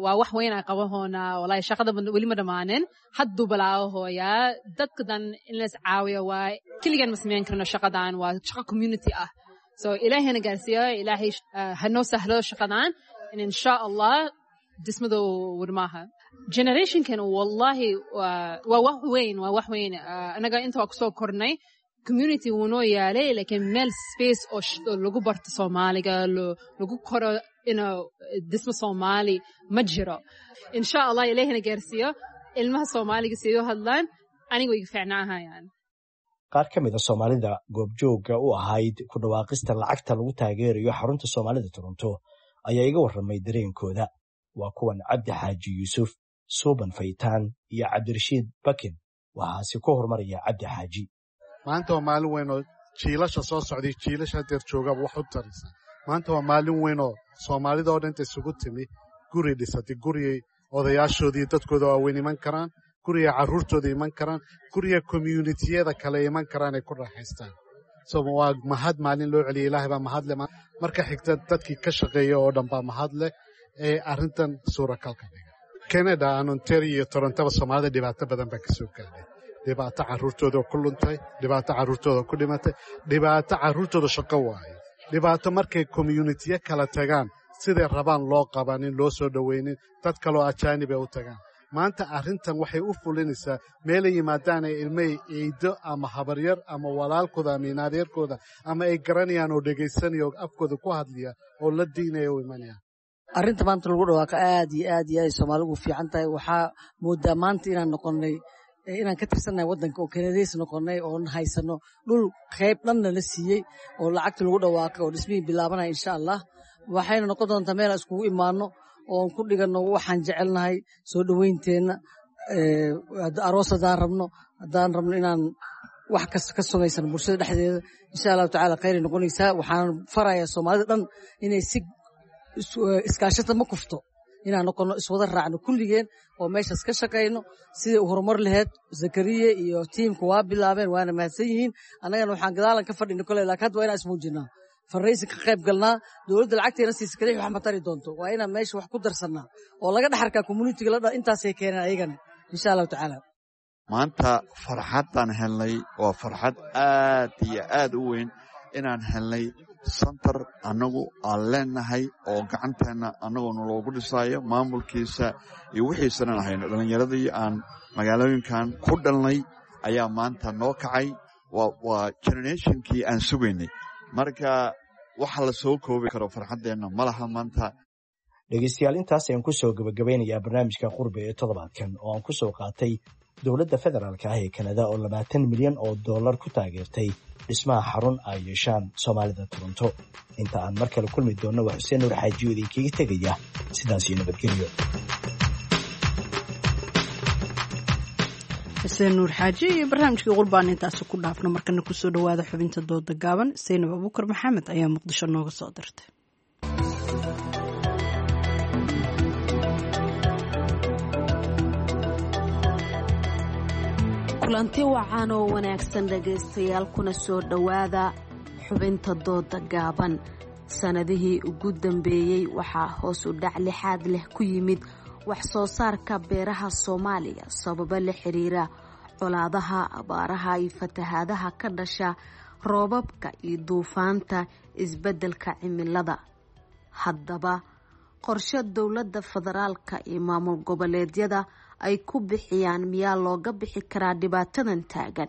Waa wax weyn aan qabahoona. Walahi shaqada weli ma dhammaanin, hadduu bilaabahooyaa. Dadka dan in la is caawiyo waa keligeen ma samayn karno shaqadan, waa shaqo community ah. So Ilaahayna gaarsiiyo, Ilaahay hanoo sahlo shaqadan, insha Allah dhismadu warmaaha generationkan. Wallahi waa wax weyn, waa wax weyn. Anaga inta waa kusoo kornay, community wuu noo yaalay, laakiin meel space oo lagu barto Soomaaliga, lagu koro inuu dhismo Soomaali ma jiro. Insha Allah Ilaahina gaarsiiyo ilmaha Soomaaliga sidoo hadlaan aniga way fiicnaahayaan. Qaar ka mid a Soomaalida goobjoogga u ahayd ku dhawaaqista lacagta lagu taageerayo xarunta Soomaalida Toronto ayaa iga warramay dareenkooda. Waa kuwan Cabdi Xaaji Yuusuf, Suuban Faytaan iyo Cabdirashiid Bakin. Waxaase ku horumaraya Cabdi Xaaji. Maanta waa maalin weyn oo jiilasha soo socday, jiilasha hadeer joogaba wax u taraysa. Maanta waa maalin weyn oo Soomaalida oo dhanta isugu timi guri dhisatay, guriyay odayaashoodii dadkooda waaweyn iman karaan, guriga carruurtooda iman karaan, guriga communitiyada kale iman karaan ay ku raaxaystaan. So waa mahad maalin loo celiyay, Ilaahay baa mahad leh. Marka xigta dadkii ka shaqeeya oo dhan baa mahad leh ee arrintan suuragalka dhiga. Canada aan Ontario iyo Torontaba Soomaalida dhibaato badan baa ka soo gaadhay. Dhibaato carruurtooda ku luntay, dhibaato carruurtooda ku dhimatay, dhibaato carruurtooda shaqo waaye, dhibaato markay communitiyo kala tagaan siday rabaan loo qabanin, loo soo dhoweynin, dad kaloo ajaanib ay u tagaan. Maanta arrintan waxay u fulinaysaa meelay yimaadaan ay ilmay ciido ama habaryar ama walaalkooda ama inaadeerkooda ama ay garanayaan oo dhegaysanaya oo afkooda ku hadlaya oo la diinaya u imanaya. Arrinta maanta lagu dhawaaqa aad iyo aad iyo aad Soomaaligu fiican tahay. Waxaa moodaa maanta inaan noqonnay, inaan ka tirsannahay waddanka oo Kanadays noqonnay oon haysano dhul qayb dhanna la siiyey oo lacagta lagu dhawaaqay oo dhismihii bilaabanaya insha Allah. Waxayna noqon doontaa meel aan iskugu imaano oon ku dhiganno waxaan jecelnahay, soo dhowaynteenna, aroos haddaan rabno, haddaan rabno inaan wax kasta ka samaysan bulshada dhexdeeda, insha Allahu tacaala khayray noqonaysaa. Waxaan farayaa Soomaalida dhan inay si iskaashata ma kufto, inaan noqono, iswada raacno kulligeen oo meeshaas ka shaqayno sidai u horumar laheyd. Zakariye iyo tiimka waa bilaabeen, waana mahadsan yihiin. Annagana waxaan gadaalan ka fadhina kole, laakiin hadda waa inaan ismuujinaa, farraysi ka qayb galnaa. Dowladda lacagteena siisa kaliya wax ma tari doonto, waa inaan meesha wax ku darsannaa oo laga dhex arkaa communitiga la intaasay keeneen ayagana insha Allahu tacaala. Maanta farxaddaan helnay waa farxad aad iyo aad u weyn inaan helnay santar annagu aan leenahay oo gacanteenna annagoona loogu dhisaayo, maamulkiisa iyo wixiisanan ahayno. Dhallinyaradii aan magaalooyinkan ku dhalnay ayaa maanta noo kacay. Waa generationkii aan sugaynay. Marka waxa la soo koobi karo farxaddeenna ma laha maanta. Dhegeystayaal, intaas ayaan ku soo gabagabeynayaa barnaamijka Qurbe ee toddobaadkan oo aan ku soo qaatay dowladda federaalka ah ee Kanada oo labaatan milyan oo dollar ku taageertay dhismaha xarun ay yeeshaan Soomaalida Toronto. Inta aan mar kale kulmi doonno, waa Xuseen Nuur Xaajiyo idinkaga tegaya sidaas iyo nabadgelyo. Xuseen Nuur Xaaji iyo barnaamijkii Qurbaan intaasi ku dhaafno. Markana kusoo dhawaada xubinta dooda gaaban. Saynab Abuukar Maxamed ayaa Muqdisho nooga soo dirtay. Kulanti wacan oo wanaagsan dhegaystayaal, kuna soo dhowaada xubinta dooda gaaban. Sanadihii ugu dambeeyey waxaa hoos u dhac lixaad leh ku yimid wax soo saarka beeraha Soomaaliya sababo la xiriira colaadaha, abaaraha iyo fatahaadaha ka dhasha roobabka iyo duufaanta isbeddelka cimilada. Haddaba, qorshe dowladda federaalka iyo maamul goboleedyada ay ku bixiyaan miyaa looga bixi karaa dhibaatadan taagan,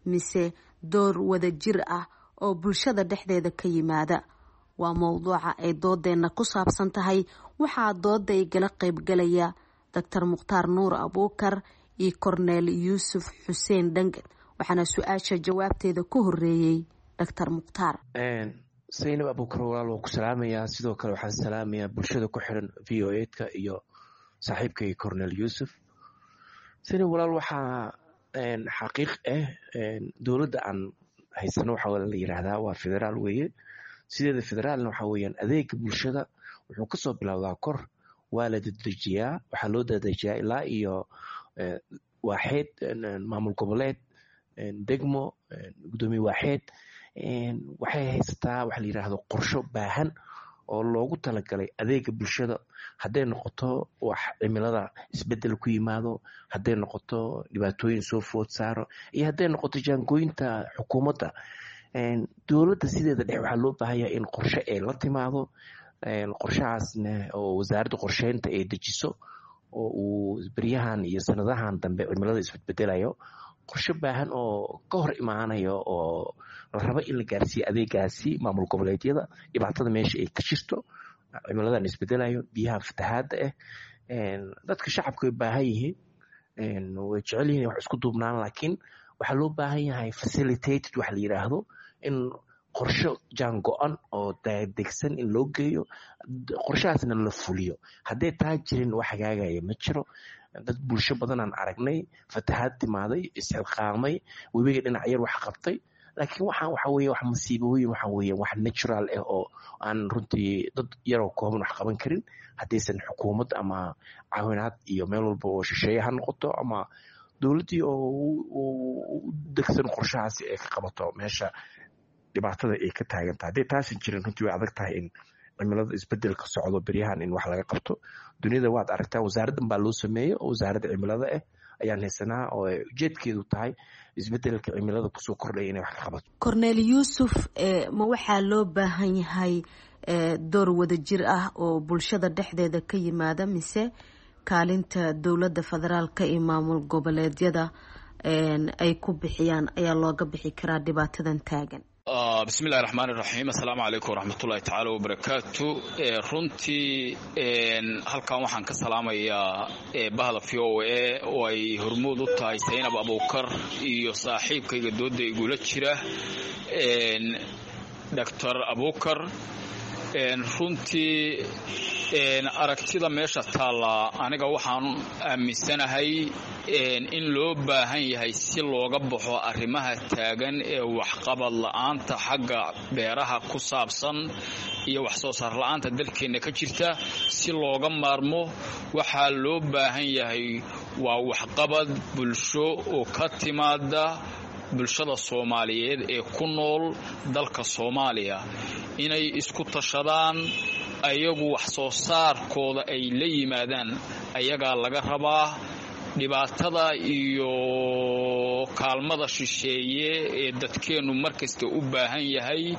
mise door wadajir ah oo bulshada dhexdeeda ka yimaada? Waa mowduuca ay doodeenna ku saabsan tahay. Waxaa dooda igala qaybgalaya Doctor Mukhtaar Nuur Abuukar iyo Korneel Yuusuf Xuseen Dhangan, waxaana su-aasha jawaabteeda ku horeeyey Doctor Mukhtaar. Saynab Abuukar, walaal, waa ku salaamayaa. Sidoo kale waxaan salaamayaa bulshada ku xiran V O A-ka iyo saaxiibkay Cornel Yuusuf. Saynab walaal, waxaa xaqiiq ah dowladda aan haysano waxaa la yiraahdaa waa federaal weeye. Sideeda federaalna waxaa weeyaan adeega bulshada wuxuu kasoo bilowdaa kor, waa la dedejiyaa, waxaa loo dedejiyaa ilaa iyo waaxeed, maamul goboleed, degmo, gudoomiye waaxeed. Waxay haysataa waxa la yiraahdo qorsho baahan oo loogu talagalay adeega bulshada, hadday noqoto wax cimilada isbedel ku yimaado, hadday noqoto dhibaatooyin soo food saaro, iyo hadday noqoto jaangooyinta xukuumadda dowladda. Sideeda dhex waxaa loo baahanya in qorshe ay la timaado, qorshahaasna oo wasaaradda qorsheynta ay dejiso, oo uu beryahan iyo sanadahan dambe cimilada isbedbedelayo qorshe baahan oo ka hor imaanayo oo la rabo in la gaarsiiyo adeegaasi maamul goboleedyada. Dhibaatada meesha ay ka jirto, cimiladan isbedelayo, biyaha fatahaada ah, dadka shacabka way baahan yihiin, way jecel yihiin wax isku duubnaan, laakiin waxaa loo baahan yahay facilitated wax la yiraahdo, in qorsho jaan go-an oo degsan in loo geeyo, qorshahaasna la fuliyo. Hadday taa jirin, wax hagaagaya ma jiro. Dad bulsho badanaan aragnay fatahaad timaaday, isxilqaamay, webiga dhinac yar wax qabtay, laakiin waxaan waxa weye wax masiibooyin, waxa weye wax natural ah oo aan runtii dad yaroo kooban wax qaban karin haddaysan xukuumad ama caawinaad iyo meel walba oo shisheeye ha noqoto ama dowladdii oo u degsan qorshahaasi ay ka qabato meesha dhibaatada ay ka taagan tahay. Hadday taasan jirin, runtii way adag tahay in cimilada isbedelka socdo beryahan in wax laga qabto. Duniyada waad aragtaa, wasaaraddan baa loo sameeyey oo wasaaradda cimilada ah ayaan haysanaa oo ujeedkeedu tahay isbedelka cimilada kusoo kordhaya inay wax ka qabato. Cornel Yuusuf, ma waxaa loo baahan yahay door wadajir ah oo bulshada dhexdeeda ka yimaada, mise kaalinta dowladda federaalka iyo maamul goboleedyada ay ku bixiyaan ayaa looga bixi karaa dhibaatadan taagan? Bismillahi raxmaan iraxiim. Assalaamu calaykum waraxmatullahi tacaala wabarakaatu. Runtii halkan waxaan ka salaamayaa bahda V O A oo ay hormuud u tahay Saynab Abuukar iyo saaxiibkayga dooda igula jira Doctor Abuukar. Runtii aragtida meesha taalla, aniga waxaan aaminsanahay in loo baahan yahay si looga baxo arrimaha taagan ee waxqabad la-aanta xagga beeraha ku saabsan iyo wax soo saar la-aanta dalkeenna ka jirta, si looga maarmo waxaa loo baahan yahay waa waxqabad bulsho oo ka timaada bulshada Soomaaliyeed ee ku nool dalka Soomaaliya, inay isku tashadaan, ayagu wax soo saarkooda ay la yimaadaan. Ayagaa laga rabaa. Dhibaatada iyo kaalmada shisheeye ee dadkeennu markasta u baahan yahay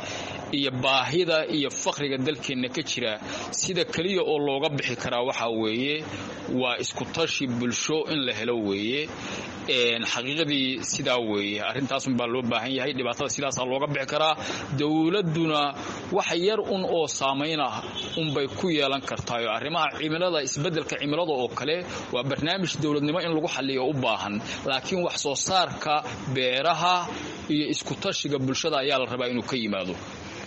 iyo baahida iyo faqriga dalkeenna ka jira, sida keliya oo looga bixi karaa waxaa weeye waa iskutashi bulsho in la helo weeye. Xaqiiqadii sidaa weeye, arrintaasunbaa loo baahan yahay. Dhibaatada sidaasaa looga bixi karaa. Dowladduna wax yar un oo saamayn ah unbay ku yeelan kartaayo arrimaha cimilada, isbeddelka cimilada oo kale waa barnaamij dowladnimo in lagu xalliyo u baahan, laakiin wax soo saarka beeraha iyo iskutashiga bulshada ayaa la rabaa inuu ka yimaado.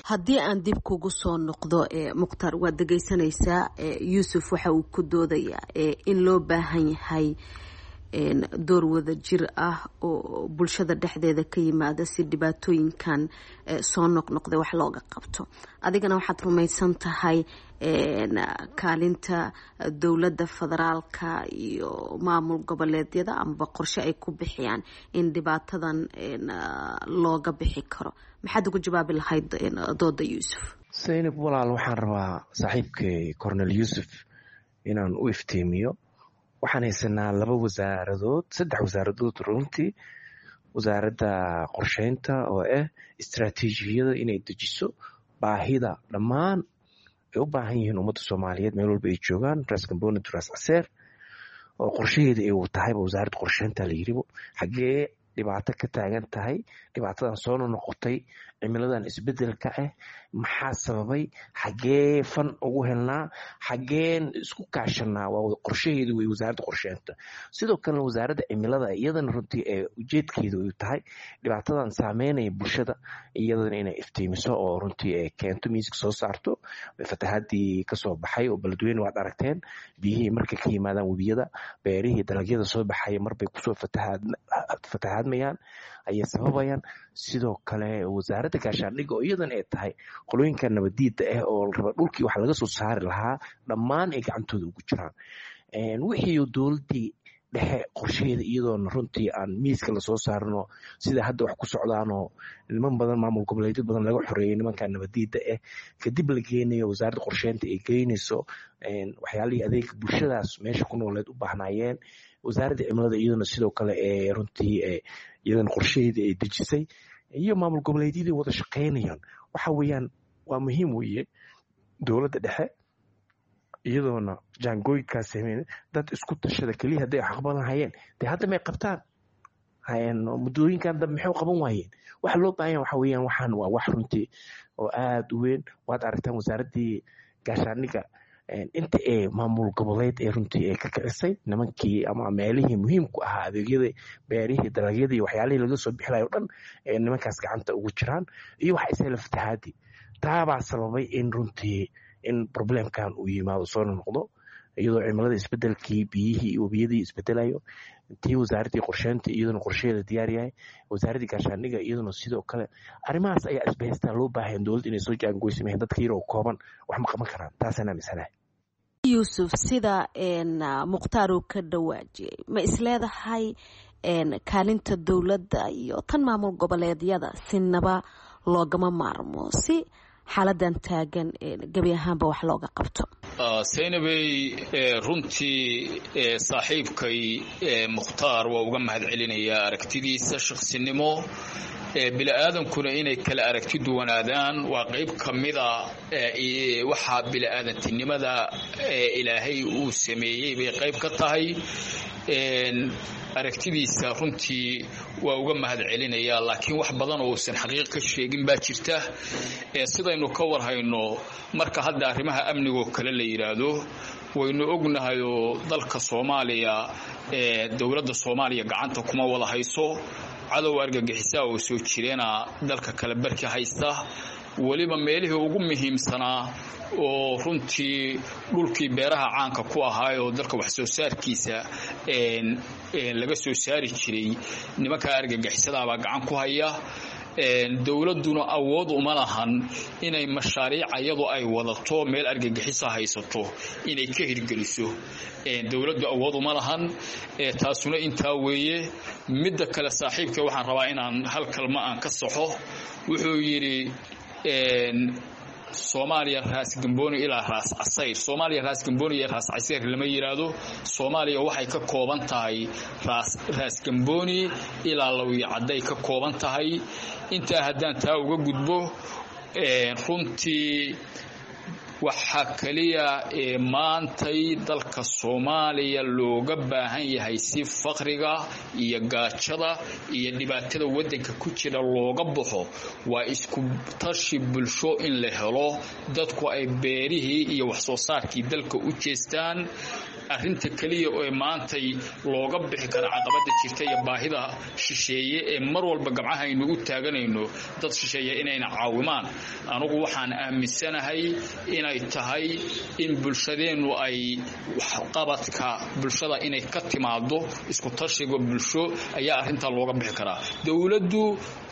Haddii aan dib kugu soo noqdo, Mukhtaar, waad dhegaysanaysaa Yuusuf waxa uu ku doodayaa in loo baahan yahay door wada jir ah oo bulshada dhexdeeda ka yimaada si dhibaatooyinkan soo noqnoqday wax looga qabto. Adigana waxaad rumaysan tahay kaalinta dowladda federaalka iyo maamul goboleedyada amaba qorshe ay ku bixiyaan in dhibaatadan looga bixi karo. Maxaad ugu jawaabi lahayd dooda Yuusuf? Saynab walaal, waxaan rabaa saaxiibkay Cornel Yuusuf inaan u iftiimiyo. Waxaan haysanaa laba wasaaradood, saddex wasaaradood runtii. Wasaaradda qorsheynta oo ah istaraatiijiyada inay dejiso baahida dhammaan ay u baahan yihiin ummadda Soomaaliyeed meel walba ay joogaan, Ras Gamboni to Ras Caseer, oo qorshaheeda ay tahayba wasaaradda qorsheynta la yiribo xaggee dhibaato ka taagan tahay, dhibaatadan soo noqotay, cimiladan isbedelka ah maxaa sababay, xaggee fan ugu helnaa, xaggeen isku kaashanaa, waa qorshaheedu wey wasaaradda qorsheynta. Sidoo kalena wasaaradda cimilada iyadana runtii ee ujeedkeedu ay tahay dhibaatadan saameynaya bulshada iyadana inay iftiimiso oo runtii ay keento miiska soo saarto. Fatahaadii kasoo baxay oo Beledweyne waad aragteen, biyihii markay ka yimaadaan webiyada, beerihii dalagyada soo baxaya marbay kusoo fatahaadmayaan ayay sababayaan. Sidoo kale wasaaradda gaashaandhigga oo iyadana ay tahay qolooyinka nabadiida ah oo raba dhulkii wax laga soo saari lahaa dhammaan ay gacantooda ugu jiraan, wixii dowladdii dhexe qorshaheeda iyadoona runtii aan miiska lasoo saarno sida hadda wax ku socdaanoo niman badan maamul goboleedyo badan laga xoreeyay nimanka nabadiida ah, kadib la geenayo wasaaradda qorsheynta ay geynayso waxyaalihii adeega bulshadaas meesha ku nooleed u baahnaayeen. Wasaaradda cimilada iyaduna sidoo kale ee runtii iyadana qorshaheedii ay dejisay iyo maamul goboleedyadii wada shaqeynayaan. Waxa weeyaan waa muhiim weeye dowladda dhexe iyadoona jaangooyinkaas sameyn dad isku tashada keliya hadday wax qaban lahayeen dee hadda may qabtaan, muddooyinkan dambe maxay qaban waayeen? Waxa loo baahan waxa weeyaan waxaan waa wax runtii oo aada u weyn. Waad aragtaan wasaaraddii gaashaandhigga inta ee maamul goboleed ee runtii ee ka kicisay nimankii ama meelihii muhiimku ahaa adeegyada beerihii dalagyadii waxyaalihii laga soo bixilayo o dhan ee nimankaas gacanta ugu jiraan iyo waxa isla fatahaadii taabaa sababay in runtii in problemkan uu yimaado soo noqdo, iyadoo cimilada isbedelkii biyihii iyo webiyadii isbedelayo, tii wasaaraddii qorsheynta iyaduna qorshaheeda diyaar yahay, wasaaraddii gaashaandhigga iyaduna sidoo kale. Arrimahaas ayaa isbahaystaa loo baahan dowladda inay soo jaangoysameen. Dadka yaroo kooban wax ma qaban karaan, taasaan aaminsanahay. Yuusuf, sida Mukhtaar uu ka dhawaajiyey, ma isleedahay kaalinta dowladda iyo tan maamul goboleedyada sinaba loogama maarmo si xaaladan taagan gebi ahaanba wax looga qabto? Saynabey, runtii saaxiibkay Mukhtaar waa uga mahad celinayaa aragtidiisa shaqsinimo. Bili-aadankuna inay kala aragti duwanaadaan waa qayb ka mida waxaa bili-aadantinimada Ilaahay uu sameeyey bay qayb ka tahay. Aragtidiisa runtii waa uga mahad celinayaa, laakiin wax badan oo uusan xaqiiq ka sheegin baa jirta. Sidaynu ka warhayno, marka hadda arrimaha amnigoo kale la yidhaahdo, waynu ognahayoo dalka Soomaaliya, dowladda Soomaaliya gacanta kuma wada hayso. Cadow argagixisaa oo soo jireena dalka kale barki haysta, weliba meelihii ugu muhiimsanaa oo runtii dhulkii beeraha caanka ku ahaayoo dalka wax soo saarkiisa laga soo saari jiray, nimankaa argagixisadaabaa gacan ku haya. Dowladduna awood uma lahan inay mashaariic iyadu ay wadato meel argagixisa haysato inay ka hirgeliso, dowladdu awood uma lahan. Taasuna intaa weeye. Midda kale, saaxiibka waxaan rabaa inaan hal kalma aan ka saxo. Wuxuu yidhi Soomaaliya Raas Gambooni ilaa Raas Casayr. Soomaaliya Raas Gambooni iyo Raas Casayr lama yiraahdo. Soomaaliya waxay ka kooban tahay Raas Raas Gambooni ilaa Lawiyo Cadday ka kooban tahay. Intaa haddaan taa uga gudbo, runtii waxaa kaliya ee maantay dalka Soomaaliya looga baahan yahay si faqriga iyo gaajada iyo dhibaatada waddanka ku jira looga baxo waa isku tashi bulsho in la helo, dadku ay beerihii iyo wax soo saarkii dalka u jeestaan. Arrinta kaliya ee maantay looga bixi kara caqabada jirta iyo baahida shisheeye ee mar walba gamcaha aynu u taaganayno dad shisheeye inayna caawimaan, anugu waxaan aaminsanahay inay Inay tahay in bulshadeennu ay waxqabadka bulshada inay ka timaado isku tashiga bulsho ayaa arrintaa looga bixi karaa. Dowladdu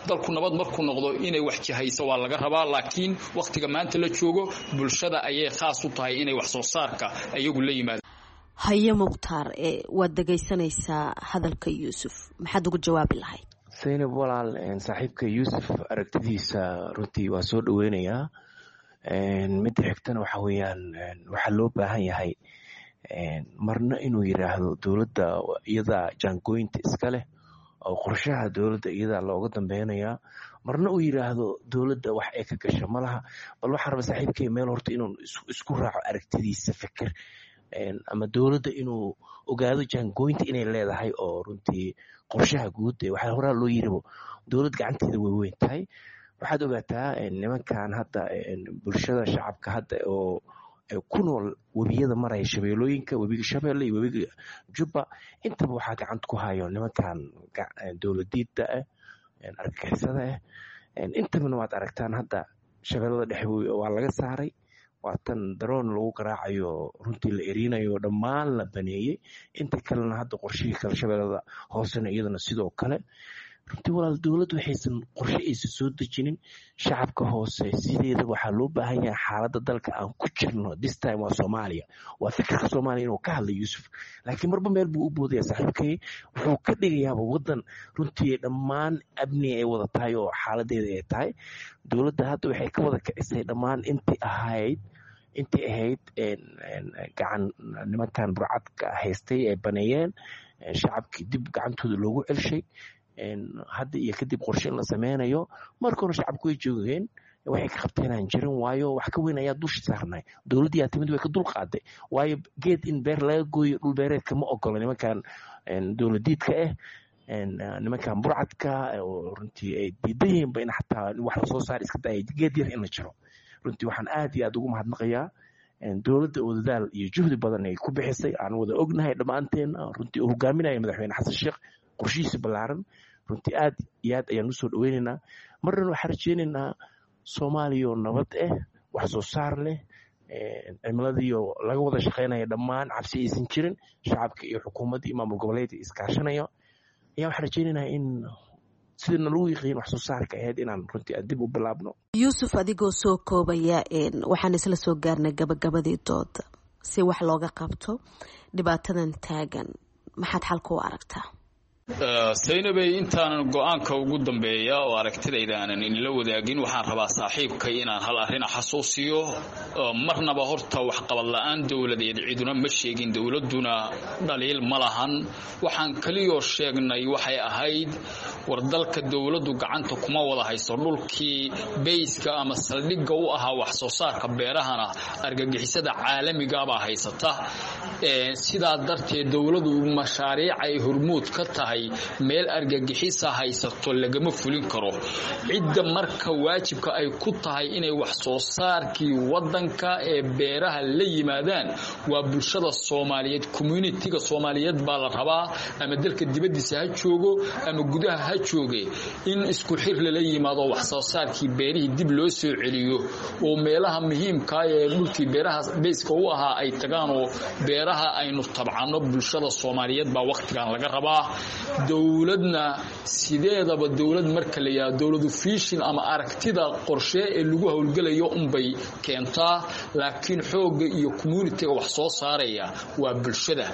dalku nabad markuu noqdo inay wax jihayso waa laga rabaa, laakiin wakhtiga maanta la joogo bulshada ayay khaas u tahay inay wax soo saarka ayagu la yimaadaan. Haye Mukhtaar, waad dhegaysanaysaa hadalka Yuusuf, maxaad ugu jawaabi lahayd? Saynab walaal, saaxiibka Yuusuf aragtidiisa runtii waa soo dhaweynayaa. Midda xigtana waxa weeyaan, waxaa loo baahan yahay marna inuu yiraahdo dowladda iyadaa jaangooyinta iska leh oo qorshaha dowladda iyadaa looga dambeynayaa, marna uu yiraahdo dowladda wax ay ka gasho ma laha. Bal waxaan rabaa saaxiibkay meel horta inuu isku raaco aragtidiisa fikir, ama dowladda inuu ogaado jaangooyinta inay leedahay oo runtii qorshaha guud waxaa horaa loo yiribo dowlad gacanteeda way weyn tahay. Waxaad ogaataa nimankan hadda bulshada shacabka hadda oo ku nool webiyada maraya shabeelooyinka, webiga Shabeelle iyo webiga Jubba, intaba waxaa gacanta ku hayo nimankan dowladiida ah, argagixisada ah. Intabana waad aragtaan hadda shabeellada dhexe waa laga saaray, waa tan daroon lagu garaacayo, runtii la erinayo, dhammaan la baneeyey. Inta kalena hadda qorshihii kale shabeellada hoosena iyadana sidoo kale. Runtii walaal, dowladdu waxaysan qorshe aysan soo dejinin shacabka hoose. Sideeda waxaa loo baahan yahay xaaladda dalka aan ku jirno this time waa Soomaaliya, waa fikirka Soomaaliya inuu ka hadla Yuusuf, laakiin marba meel buu u boodaya saaxiibkay, wuxuu ka dhigayaaba waddan runtii dhammaan amni ay wada tahay oo xaaladeeda ay tahay. Dowladda hadda waxay ka wada kicisay dhammaan intii ahayd intii ahayd gacan nimankan burcadka haystay ay baneeyeen, shacabkii dib gacantooda loogu celshay. Hadda iyo kadib qorshe in la sameynayo, marka hore shacabku way joogeen, waxay ka qabteen aan jirin, waayo wax ka weyn ayaa dusha saarnay. Dowladdii yaa timid, way ka dul qaaday, waayo geed in beer laga gooyo dhul beereedka ma ogola nimankan dowladiidka ah, nimankan burcadka oo runtii ay diidan yihiinba in xataa wax lasoo saar iska daaya geed yar in la jiro. Runtii waxaan aad iyo aad ugu mahadnaqayaa dowladda oo dadaal iyo juhdi badan ay ku bixisay, aan wada ognahay dhammaanteen, runtii uu hogaaminaya madaxweyne Xasan Sheekh qorshihiisa ballaaran. Runtii aad iyo aad ayaan usoo dhaweynaynaa. Marnana waxaan rajeynaynaa Soomaaliya oo nabad ah, wax soo saar leh, cimiladiiyo laga wada shaqeynaya, dhammaan cabsi aysan jirin, shacabka iyo xukuumadda iyo maamul goboleedka iskaashanaya ayaa waxaan rajeynaynaa in sidana lagu yiqiin wax soo saarka ahayd inaan runtii aan dib u bilaabno. Yuusuf, adigoo soo koobaya, waxaan isla soo gaarnay gabagabadii dooda. Si wax looga qabto dhibaatadan taagan, maxaad xalka u aragtaa? Saynabey, intaanan go-aanka ugu dambeeya oo aragtidayda aanan inla wadaagin, waxaan rabaa saaxiibkay inaan hal arrina xasuusiyo. Marnaba horta waxqabad la-aan dowladeed ciduna ma sheegin, dowladduna dhaliil ma lahan. Waxaan keliyoo sheegnay waxay ahayd war dalka dowladdu gacanta kuma wada hayso dhulkii beyska ama saldhigga u ahaa wax soo saarka beerahana argagixisada caalamigaabaa haysata. Sidaa darteed dowladdu mashaariic ay hormuud ka tahay meel argagixisa haysato lagama fulin karo. Cidda marka waajibka ay ku tahay inay wax soo saarkii wadanka ee beeraha la yimaadaan waa bulshada Soomaaliyeed, communitiga Soomaaliyeed baa la rabaa, ama dalka dibadiisa ha joogo ama gudaha ha jooge, in isku xir lala yimaado wax soo saarkii beerihii dib loo soo celiyo oo meelaha muhiimka ee dhulkii beeraha beyska u ahaa ay tagaan oo beeraha aynu tabcano. Bulshada Soomaaliyeed baa wakhtigan laga rabaa. Dowladna sideedaba dowlad marka la yidhahdo dowladu fiishin ama aragtida qorshe ee lagu howlgelayo unbay keentaa, laakiin xoogga iyo communitiga wax soo saaraya waa bulshada.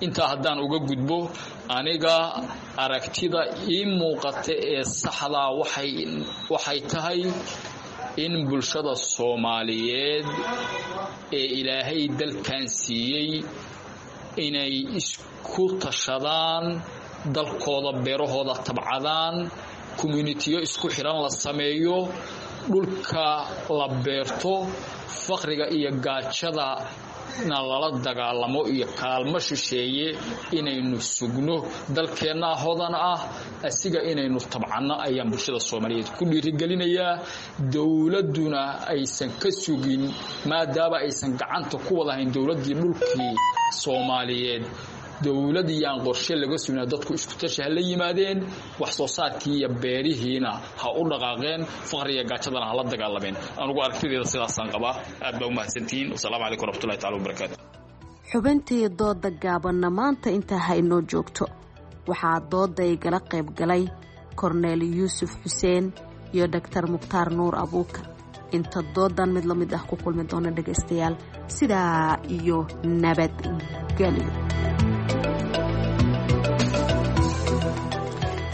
Intaa haddaan uga gudbo, aniga aragtida ii muuqata ee saxdaa waxay waxay tahay in bulshada Soomaaliyeed ee Ilaahay dalkan siiyey inay isku tashadaan, dalkooda beerahooda tabcadaan, communitiyo isku xiran la sameeyo, dhulka la beerto, faqriga iyo gaajada na lala dagaalamo iyo kaalmo shisheeye inaynu sugno. Dalkeennaa hodan ah, asiga inaynu tabcanno ayaan bulshada Soomaaliyeed ku dhiirigelinayaa. Dowladduna aysan ka sugin, maadaama aysan gacanta ku wadahayn dowladdii dhulkii Soomaaliyeed, Dowlad iyaan qorshe laga sugna, dadku isku tashi ha la yimaadeen, wax soo saarkii iyo beerihiina ha u dhaqaaqeen, faqriga gaajadana ha la dagaalameen. Anugu aragtideeda sidaasaan qabaa. Aad baa umahadsantihiin. Wasalaamu calaykum waraxmatullahi tacala wabarakaatu. Xubintii dooda gaabanna maanta intaa ha inoo joogto. Waxaa dooda igala qayb galay Korneel Yuusuf Xuseen iyo Dhaktar Mukhtaar Nuur Abuukar. Inta doodan mid la mid ah ku kulmi doona dhegaystayaal, sidaa iyo nabadgelyo.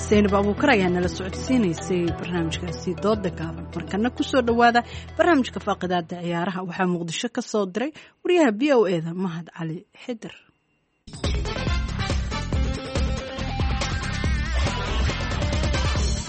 Saynab Abuukar ayaa nala socodsiinaysay barnaamijkaasi dooda gaaban. Markana kusoo dhowaada barnaamijka faaqidaada ciyaaraha. Waxaa Muqdisho ka soo diray wariyaha V O E da Mahad Cali Xidir.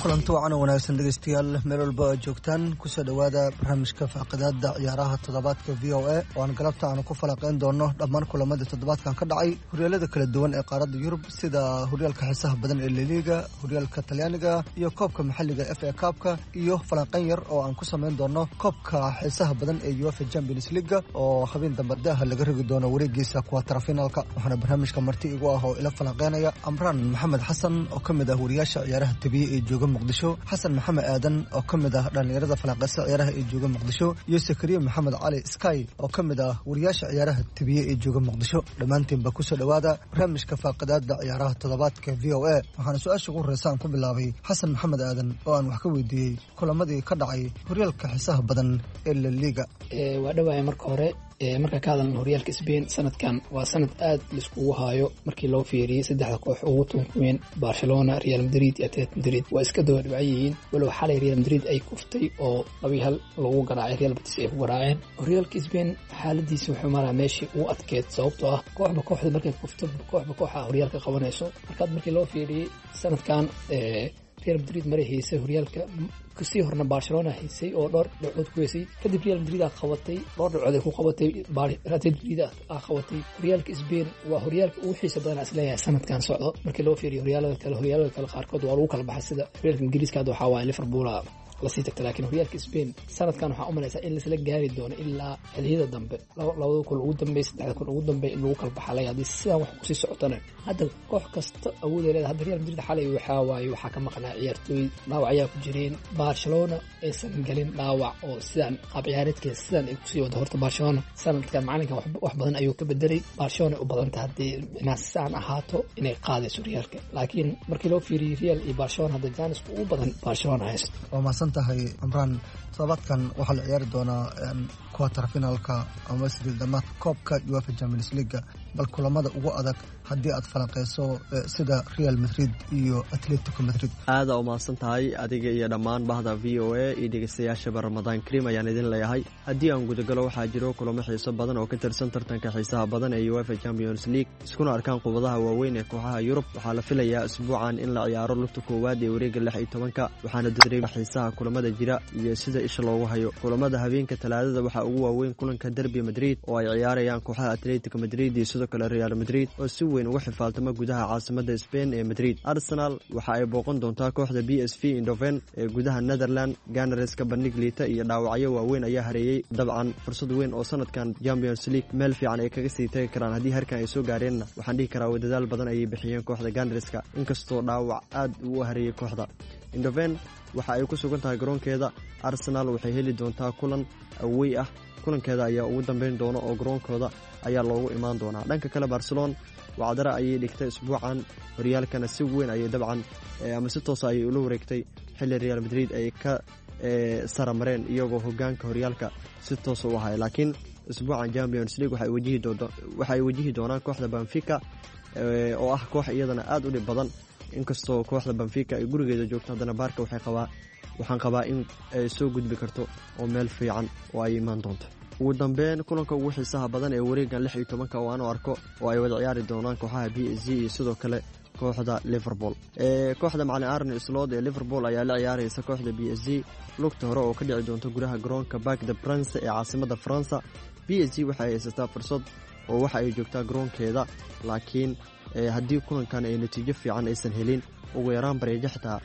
Kulanti wacan oo wanaagsan dhegeystayaal, meel walba aad joogtaan, kusoo dhowaada barnaamijka faaqidaada ciyaaraha toddobaadka V O A, oo aan galabta aanu ku falaqeyn doono dhammaan kulamadii toddobaadkan ka dhacay horyaalada kala duwan ee qaaradda Yurub, sida horyaalka xiisaha badan ee Laliga, horyaalka Talyaaniga iyo koobka maxalliga F A Kaabka, iyo falanqeyn yar oo aan ku samayn doono koobka xiisaha badan ee UEFA Champions League oo habeen dambe daaha laga rogi doono wareegiisa kuwatarfinaalka. Waxaana barnaamijka marti igu ah oo ila falanqeynaya Amraan Maxamed Xasan oo ka mid ah wariyaasha ciyaaraha tabiye ee jooga Muqdisho, Xasan Maxamed Aadan oo ka mid ah dhallinyarada falanqeysa ciyaaraha ee jooga Muqdisho, iyo Sakariye Maxamed Cali Sky oo ka mid ah wariyaasha ciyaaraha tabiye ee jooga Muqdisho. Dhammaantiinba kusoo dhowaada barnaamijka faaqidaada ciyaaraha toddobaadka V O A. Waxaana su-aasha ugu horreysa aan ku bilaabay Xasan Maxamed Aadan oo aan wax ka weydiiyey kulamadii ka dhacay horyaalka xiisaha badan ee La Liga. Waa dhawahay marka hore. Marka ka hadalna horyaalka Spain, sanadkan waa sanad aad laiskugu haayo markii loo fiiriyey saddexda koox ugu tunka weyn, Barcelona, Real Madrid iyo Atletico Madrid, waa iska daba dhibcan yihiin, walow xalay Real Madrid ay kuftay oo laba iyo hal lagu garaacay, Real Betis ay ku garaaceen. Horyaalka Spain xaaladiisa wuxuu maraa meeshii ugu adkeyd, sababtoo ah kooxba kooxda markay kufto, kooxba kooxa horyaalka qabanayso. Markaad markii loo fiiriyey sanadkan Real Madrid maray haysay horyaalka, kasii horna Barcelona haysay oo dhowr dhibcood ku haysay, kadib Real Madrid aa qabatay, dhowr dhibcood ay ku qabatay, Atletico Madrid aa qabatay. Horyaalka Spain waa horyaalka ugu xiisa badan isleeyahay sanadkan socdo markii loo fiiriyo horyaalada kale. Horyaalada kale qaarkood waa lagu kala baxay, sida horyaalka Ingiriiska hadda waxaa waaye Liverpool lasii tagta, laakiin horyaalka Spain sanadkan waxaa u malaysaa in laisla gaari doono ilaa xilliyada dambe, labada kun ugu dambeey, saddexda kun ugu dambeey in lagu kala baxalay haddii sidan wax kusii socotana. Hadda koox kasta awood ay leedahay. Hadda Real Madrid xalay waxaa waaye waxaa ka maqnaa ciyaartooy, dhaawac ayaa ku jireen. Barcelona aysan galin dhaawac oo sidan qaab ciyaareedkeeda sidan ay kusii wado. Horta Barcelona sanadkan macalinkan wax badan ayuu ka bedelay. Barcelona u badanta haddii inaa sidan ahaato inay qaadayso horyaalka, laakiin markii loo fiiriyey Real iyo Barcelona hadda jaanisku ugu badan Barcelona haysto. Tahay Amraan, todobaadkan waxaa la ciyaari doonaa quarter finaalka ama sideed dhamaadka koobka UEFA Champions League. Bal kulamada ugu adag haddii aad falanqeyso, sida Real Madrid iyo Atletico Madrid. Aada umahadsan tahay adiga iyo dhammaan bahda V O A iyo dhegeystayaashaba. Ramadaan kariim ayaan idin leeyahay. Haddii aan gudagalo, waxaa jiro kulamo xiiso badan oo ka tirsan tartanka xiisaha badan ee UEFA Champions League, iskuna arkaan qubadaha waaweyn ee kooxaha Yurub. Waxaa la filayaa isbuucan in la ciyaaro lugta koowaad ee wareega lix iyo tobanka, waxaana dareema xiisaha kulamada jira iyo sida isha loogu hayo. Kulamada habeenka Talaadada waxaa ugu waaweyn kulanka derby Madrid oo ay ciyaarayaan kooxaha Atletico Madrid iyo sidoo kale Real Madrid oo si weyn uga xifaaltama gudaha caasimada Spain ee Madrid. Arsenal waxa ay booqan doontaa kooxda B S V Eindhoven ee gudaha Netherland. Gannereska bandhig liita iyo dhaawacyo waaweyn ayaa hareeyey, dabcan fursad weyn oo sanadkan Champions League meel fiican ay kaga sii tagi karaan haddii harkan ay soo gaareenna, waxaan dhihi karaa dadaal badan ayay bixiyeen kooxda Gannereska, inkastoo dhaawac aad uu hareeyey kooxda. Eindhoven waxa ay ku sugan tahay garoonkeeda. Arsenal waxay heli doontaa kulan awey ah, kulankeeda ayaa ugu dambeyn doona oo garoonkooda ayaa loogu imaan doonaa. Dhanka kale Barcelona wacdara ayay dhigtay isbuucan, horyaalkana si weyn ayay dabcan ama si toosa ayay ula wareegtay xilli Real Madrid ay ka saramareen iyagoo hogaanka horyaalka si toosa u ahay. Laakiin isbuucan Champions League waxa ay wajihi doonaan kooxda Benfica oo ah koox iyadana aada u dhib badan. Inkastoo kooxda Benfica ay gurigeeda joogto, haddana Baarka waxay qabaa waxaan qabaa in ay soo gudbi karto oo meel fiican oo ay imaan doonto. Ugu dambeyn kulanka ugu xiisaha badan ee wareegan lix iyo tobanka oo aanu arko oo ay wada ciyaari doonaan kooxaha B S G iyo sidoo kale kooxda Liverpool. Kooxda macalin Arne Slot ee Liverpool ayaa la ciyaaraysa kooxda B S G lugta hore oo ka dhici doonta gudaha garoonka Parc des Princes ee caasimada Faransa. B S G waxay haysataa fursad oo waxa ay joogtaa garoonkeeda, laakiin haddii kulankan ay natiijo fiican aysan helin, ugu yaraan bareejo xitaa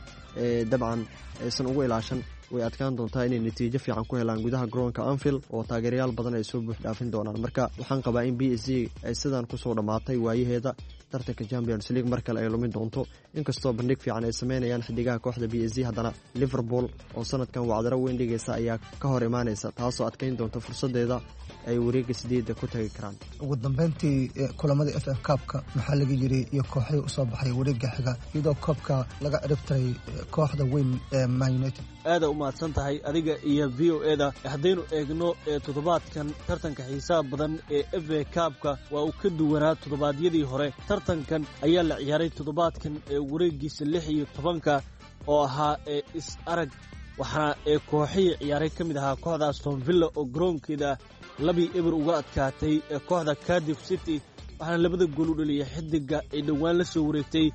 dabcan aysan ugu ilaashan, way adkaan doontaa inay natiijo fiican ku helaan gudaha garoonka Anfield oo taageerayaal badan ay soo buux dhaafin doonaan. Marka waxaan qabaa in B S G ay sidan kusoo dhammaatay waayaheeda, Tartanka Champions League mar kale ay lumin doonto, inkastoo bandhig fiican ay sameynayaan xidigaha kooxda P S G. Haddana Liverpool oo sanadkan wacdaro weyn dhigaysa ayaa ka hor imaanaysa, taasoo adkeyn doonta fursadeeda ay wareega sideedda ku tagi karaan. Ugu dambeyntii, kulamada F A Cup-ka maxaa laga yiri iyo kooxihii usoo baxay wareega xiga, iyadoo koobka laga ciribtiray kooxda weyn ee Man United? Aada u mahadsan tahay adiga iyo V O A da. Haddaynu eegno toddobaadkan tartanka xiisaha badan ee F A Cup-ka, waa uu ka duwanaa toddobaadyadii hore. Tartankan ayaa la ciyaaray toddobaadkan ee wareegiisa lix iyo tobanka oo ahaa ee is arag, waxaana ee kooxihii ciyaaray ka mid ahaa kooxda Aston Villa oo garoonkeeda labii eber uga adkaatay kooxda Cardiff City, waxaana labada gool u dhaliyay xidiga ay dhowaan la soo wareegtay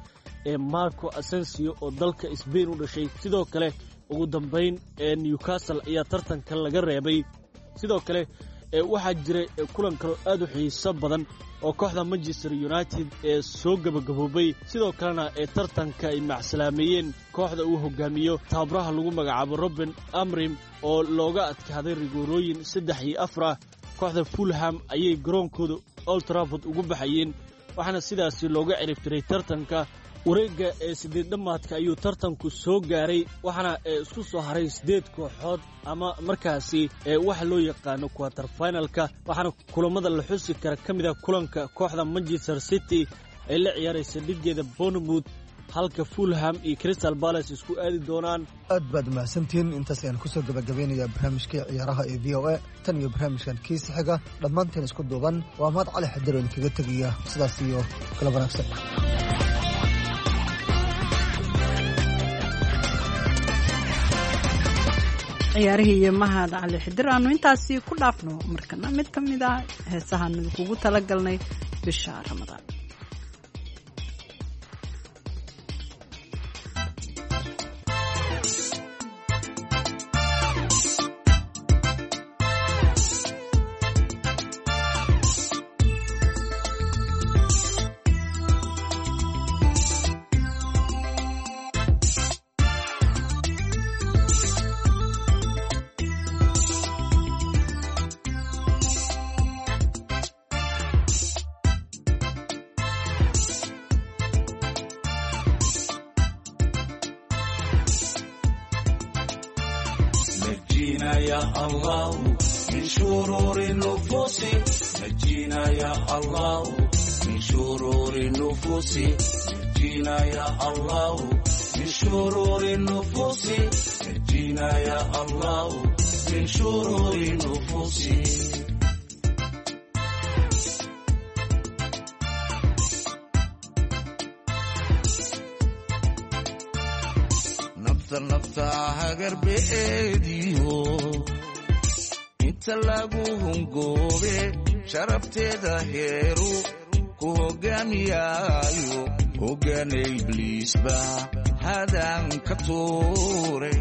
ee Marco Asensio oo dalka Sbain u dhashay. Sidoo kale, ugu dambayn ee Newcastle ayaa tartanka laga reebay. Sidoo kale, waxaa jiray kulan kaloo aad u xiiso badan oo kooxda Manchester United ee soo gebagaboobay, sidoo kalena ee tartanka ay macsalaameeyeen kooxda uu hogaamiyo tababaraha lagu magacaabo Ruben Amorim oo looga adkaaday rigoorooyin saddex iyo afar ah. Kooxda Fulham ayay garoonkooda Old Trafford ugu baxayeen, waxaana sidaasi looga ciribtiray tartanka. Wareegga ee sideed dhammaadka ayuu tartanku soo gaaray, waxaana isku soo haray siddeed kooxood ama markaasi waxa loo yaqaano quarter finalka, waxaana kulamada la xusi kara ka mid ah kulanka kooxda Manchester City ay la ciyaaraysa dhigeeda Bournemouth, halka Fulham iyo Crystal Palace isku aadi doonaan. Aad baad mahadsantihiin. Intaas ayaan kusoo gabagabeynayaa barnaamijkii ciyaaraha ee V O A. Tan iyo barnaamijkan kiisa xiga, dhammaanteen isku duuban, waa Mahad Cali Xidiro idinkaga tegaya sidaas iyo kala wanaagsan. Ciyaarihii iyo Mahad Cali Xidir aanu intaasi ku dhaafno. Markana mid ka mid ah heesahaan idinkugu talagalnay bisha Ramadaan. نجينا يا الله من شرور النفوس، نجينا يا الله من شرور النفوس، نجينا يا الله من شرور النفوس، نجينا يا الله من شرور النفوس. Nafta nafta hagarbeediyo inta lagu hungoobe, sharafteeda heeru ku hogaamiyaayo, hogaana ibliisba hadan ka tuure.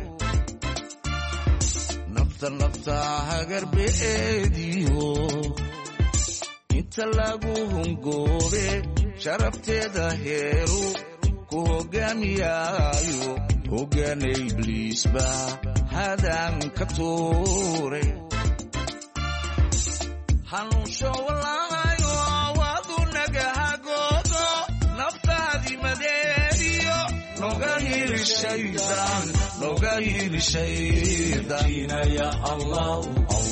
Nafta nafta hagarbeediyo inta lagu hungoobe, sharafteeda heeru ku hogaamiyaayo, hogaana ibliisba hadan ka tuure. Hanuunsho walaayo waadu nagahagoodo, naftaadi madeediyo noga hili shaydaan, noga hili shaydaan. Ya Allah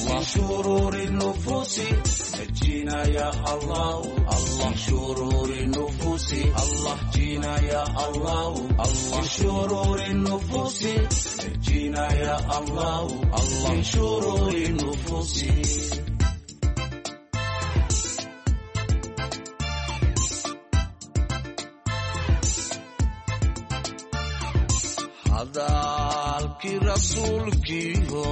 min shururi nufusi, najina ya Allah Allah shururi nufusi, Allah jina ya Allah Allah shururi nufusi, najina ya Allah Allah shururi nufusi. Hadalkii rasuulkiiho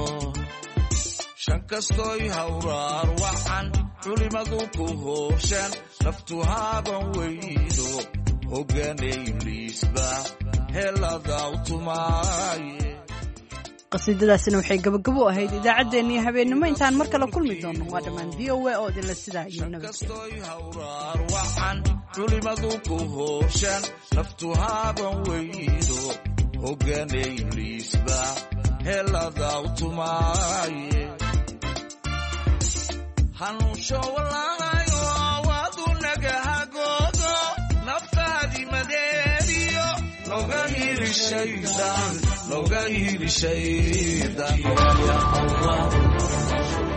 shan kastoy hawraar wacan culimadu ku hooshaan, naftu haaban weydo, hogaana ibliisba helada u tumaaye. Qasiidadaasina waxay gabagabo ahayd idaacaddeenna iyo habeennimo. Intaan mar kale kulmi doonno, waa dhammaan V O A oo idinla sidaa iyo hawraar wacan culimadu ku hooshaan, naftu haaban weydo, hogaana ibliisba helada u tumaaye. Hanuunsho walaayo waadu nagahagoodo, Nooga hili shaydaan, nooga hili shaydaan, ya Allah.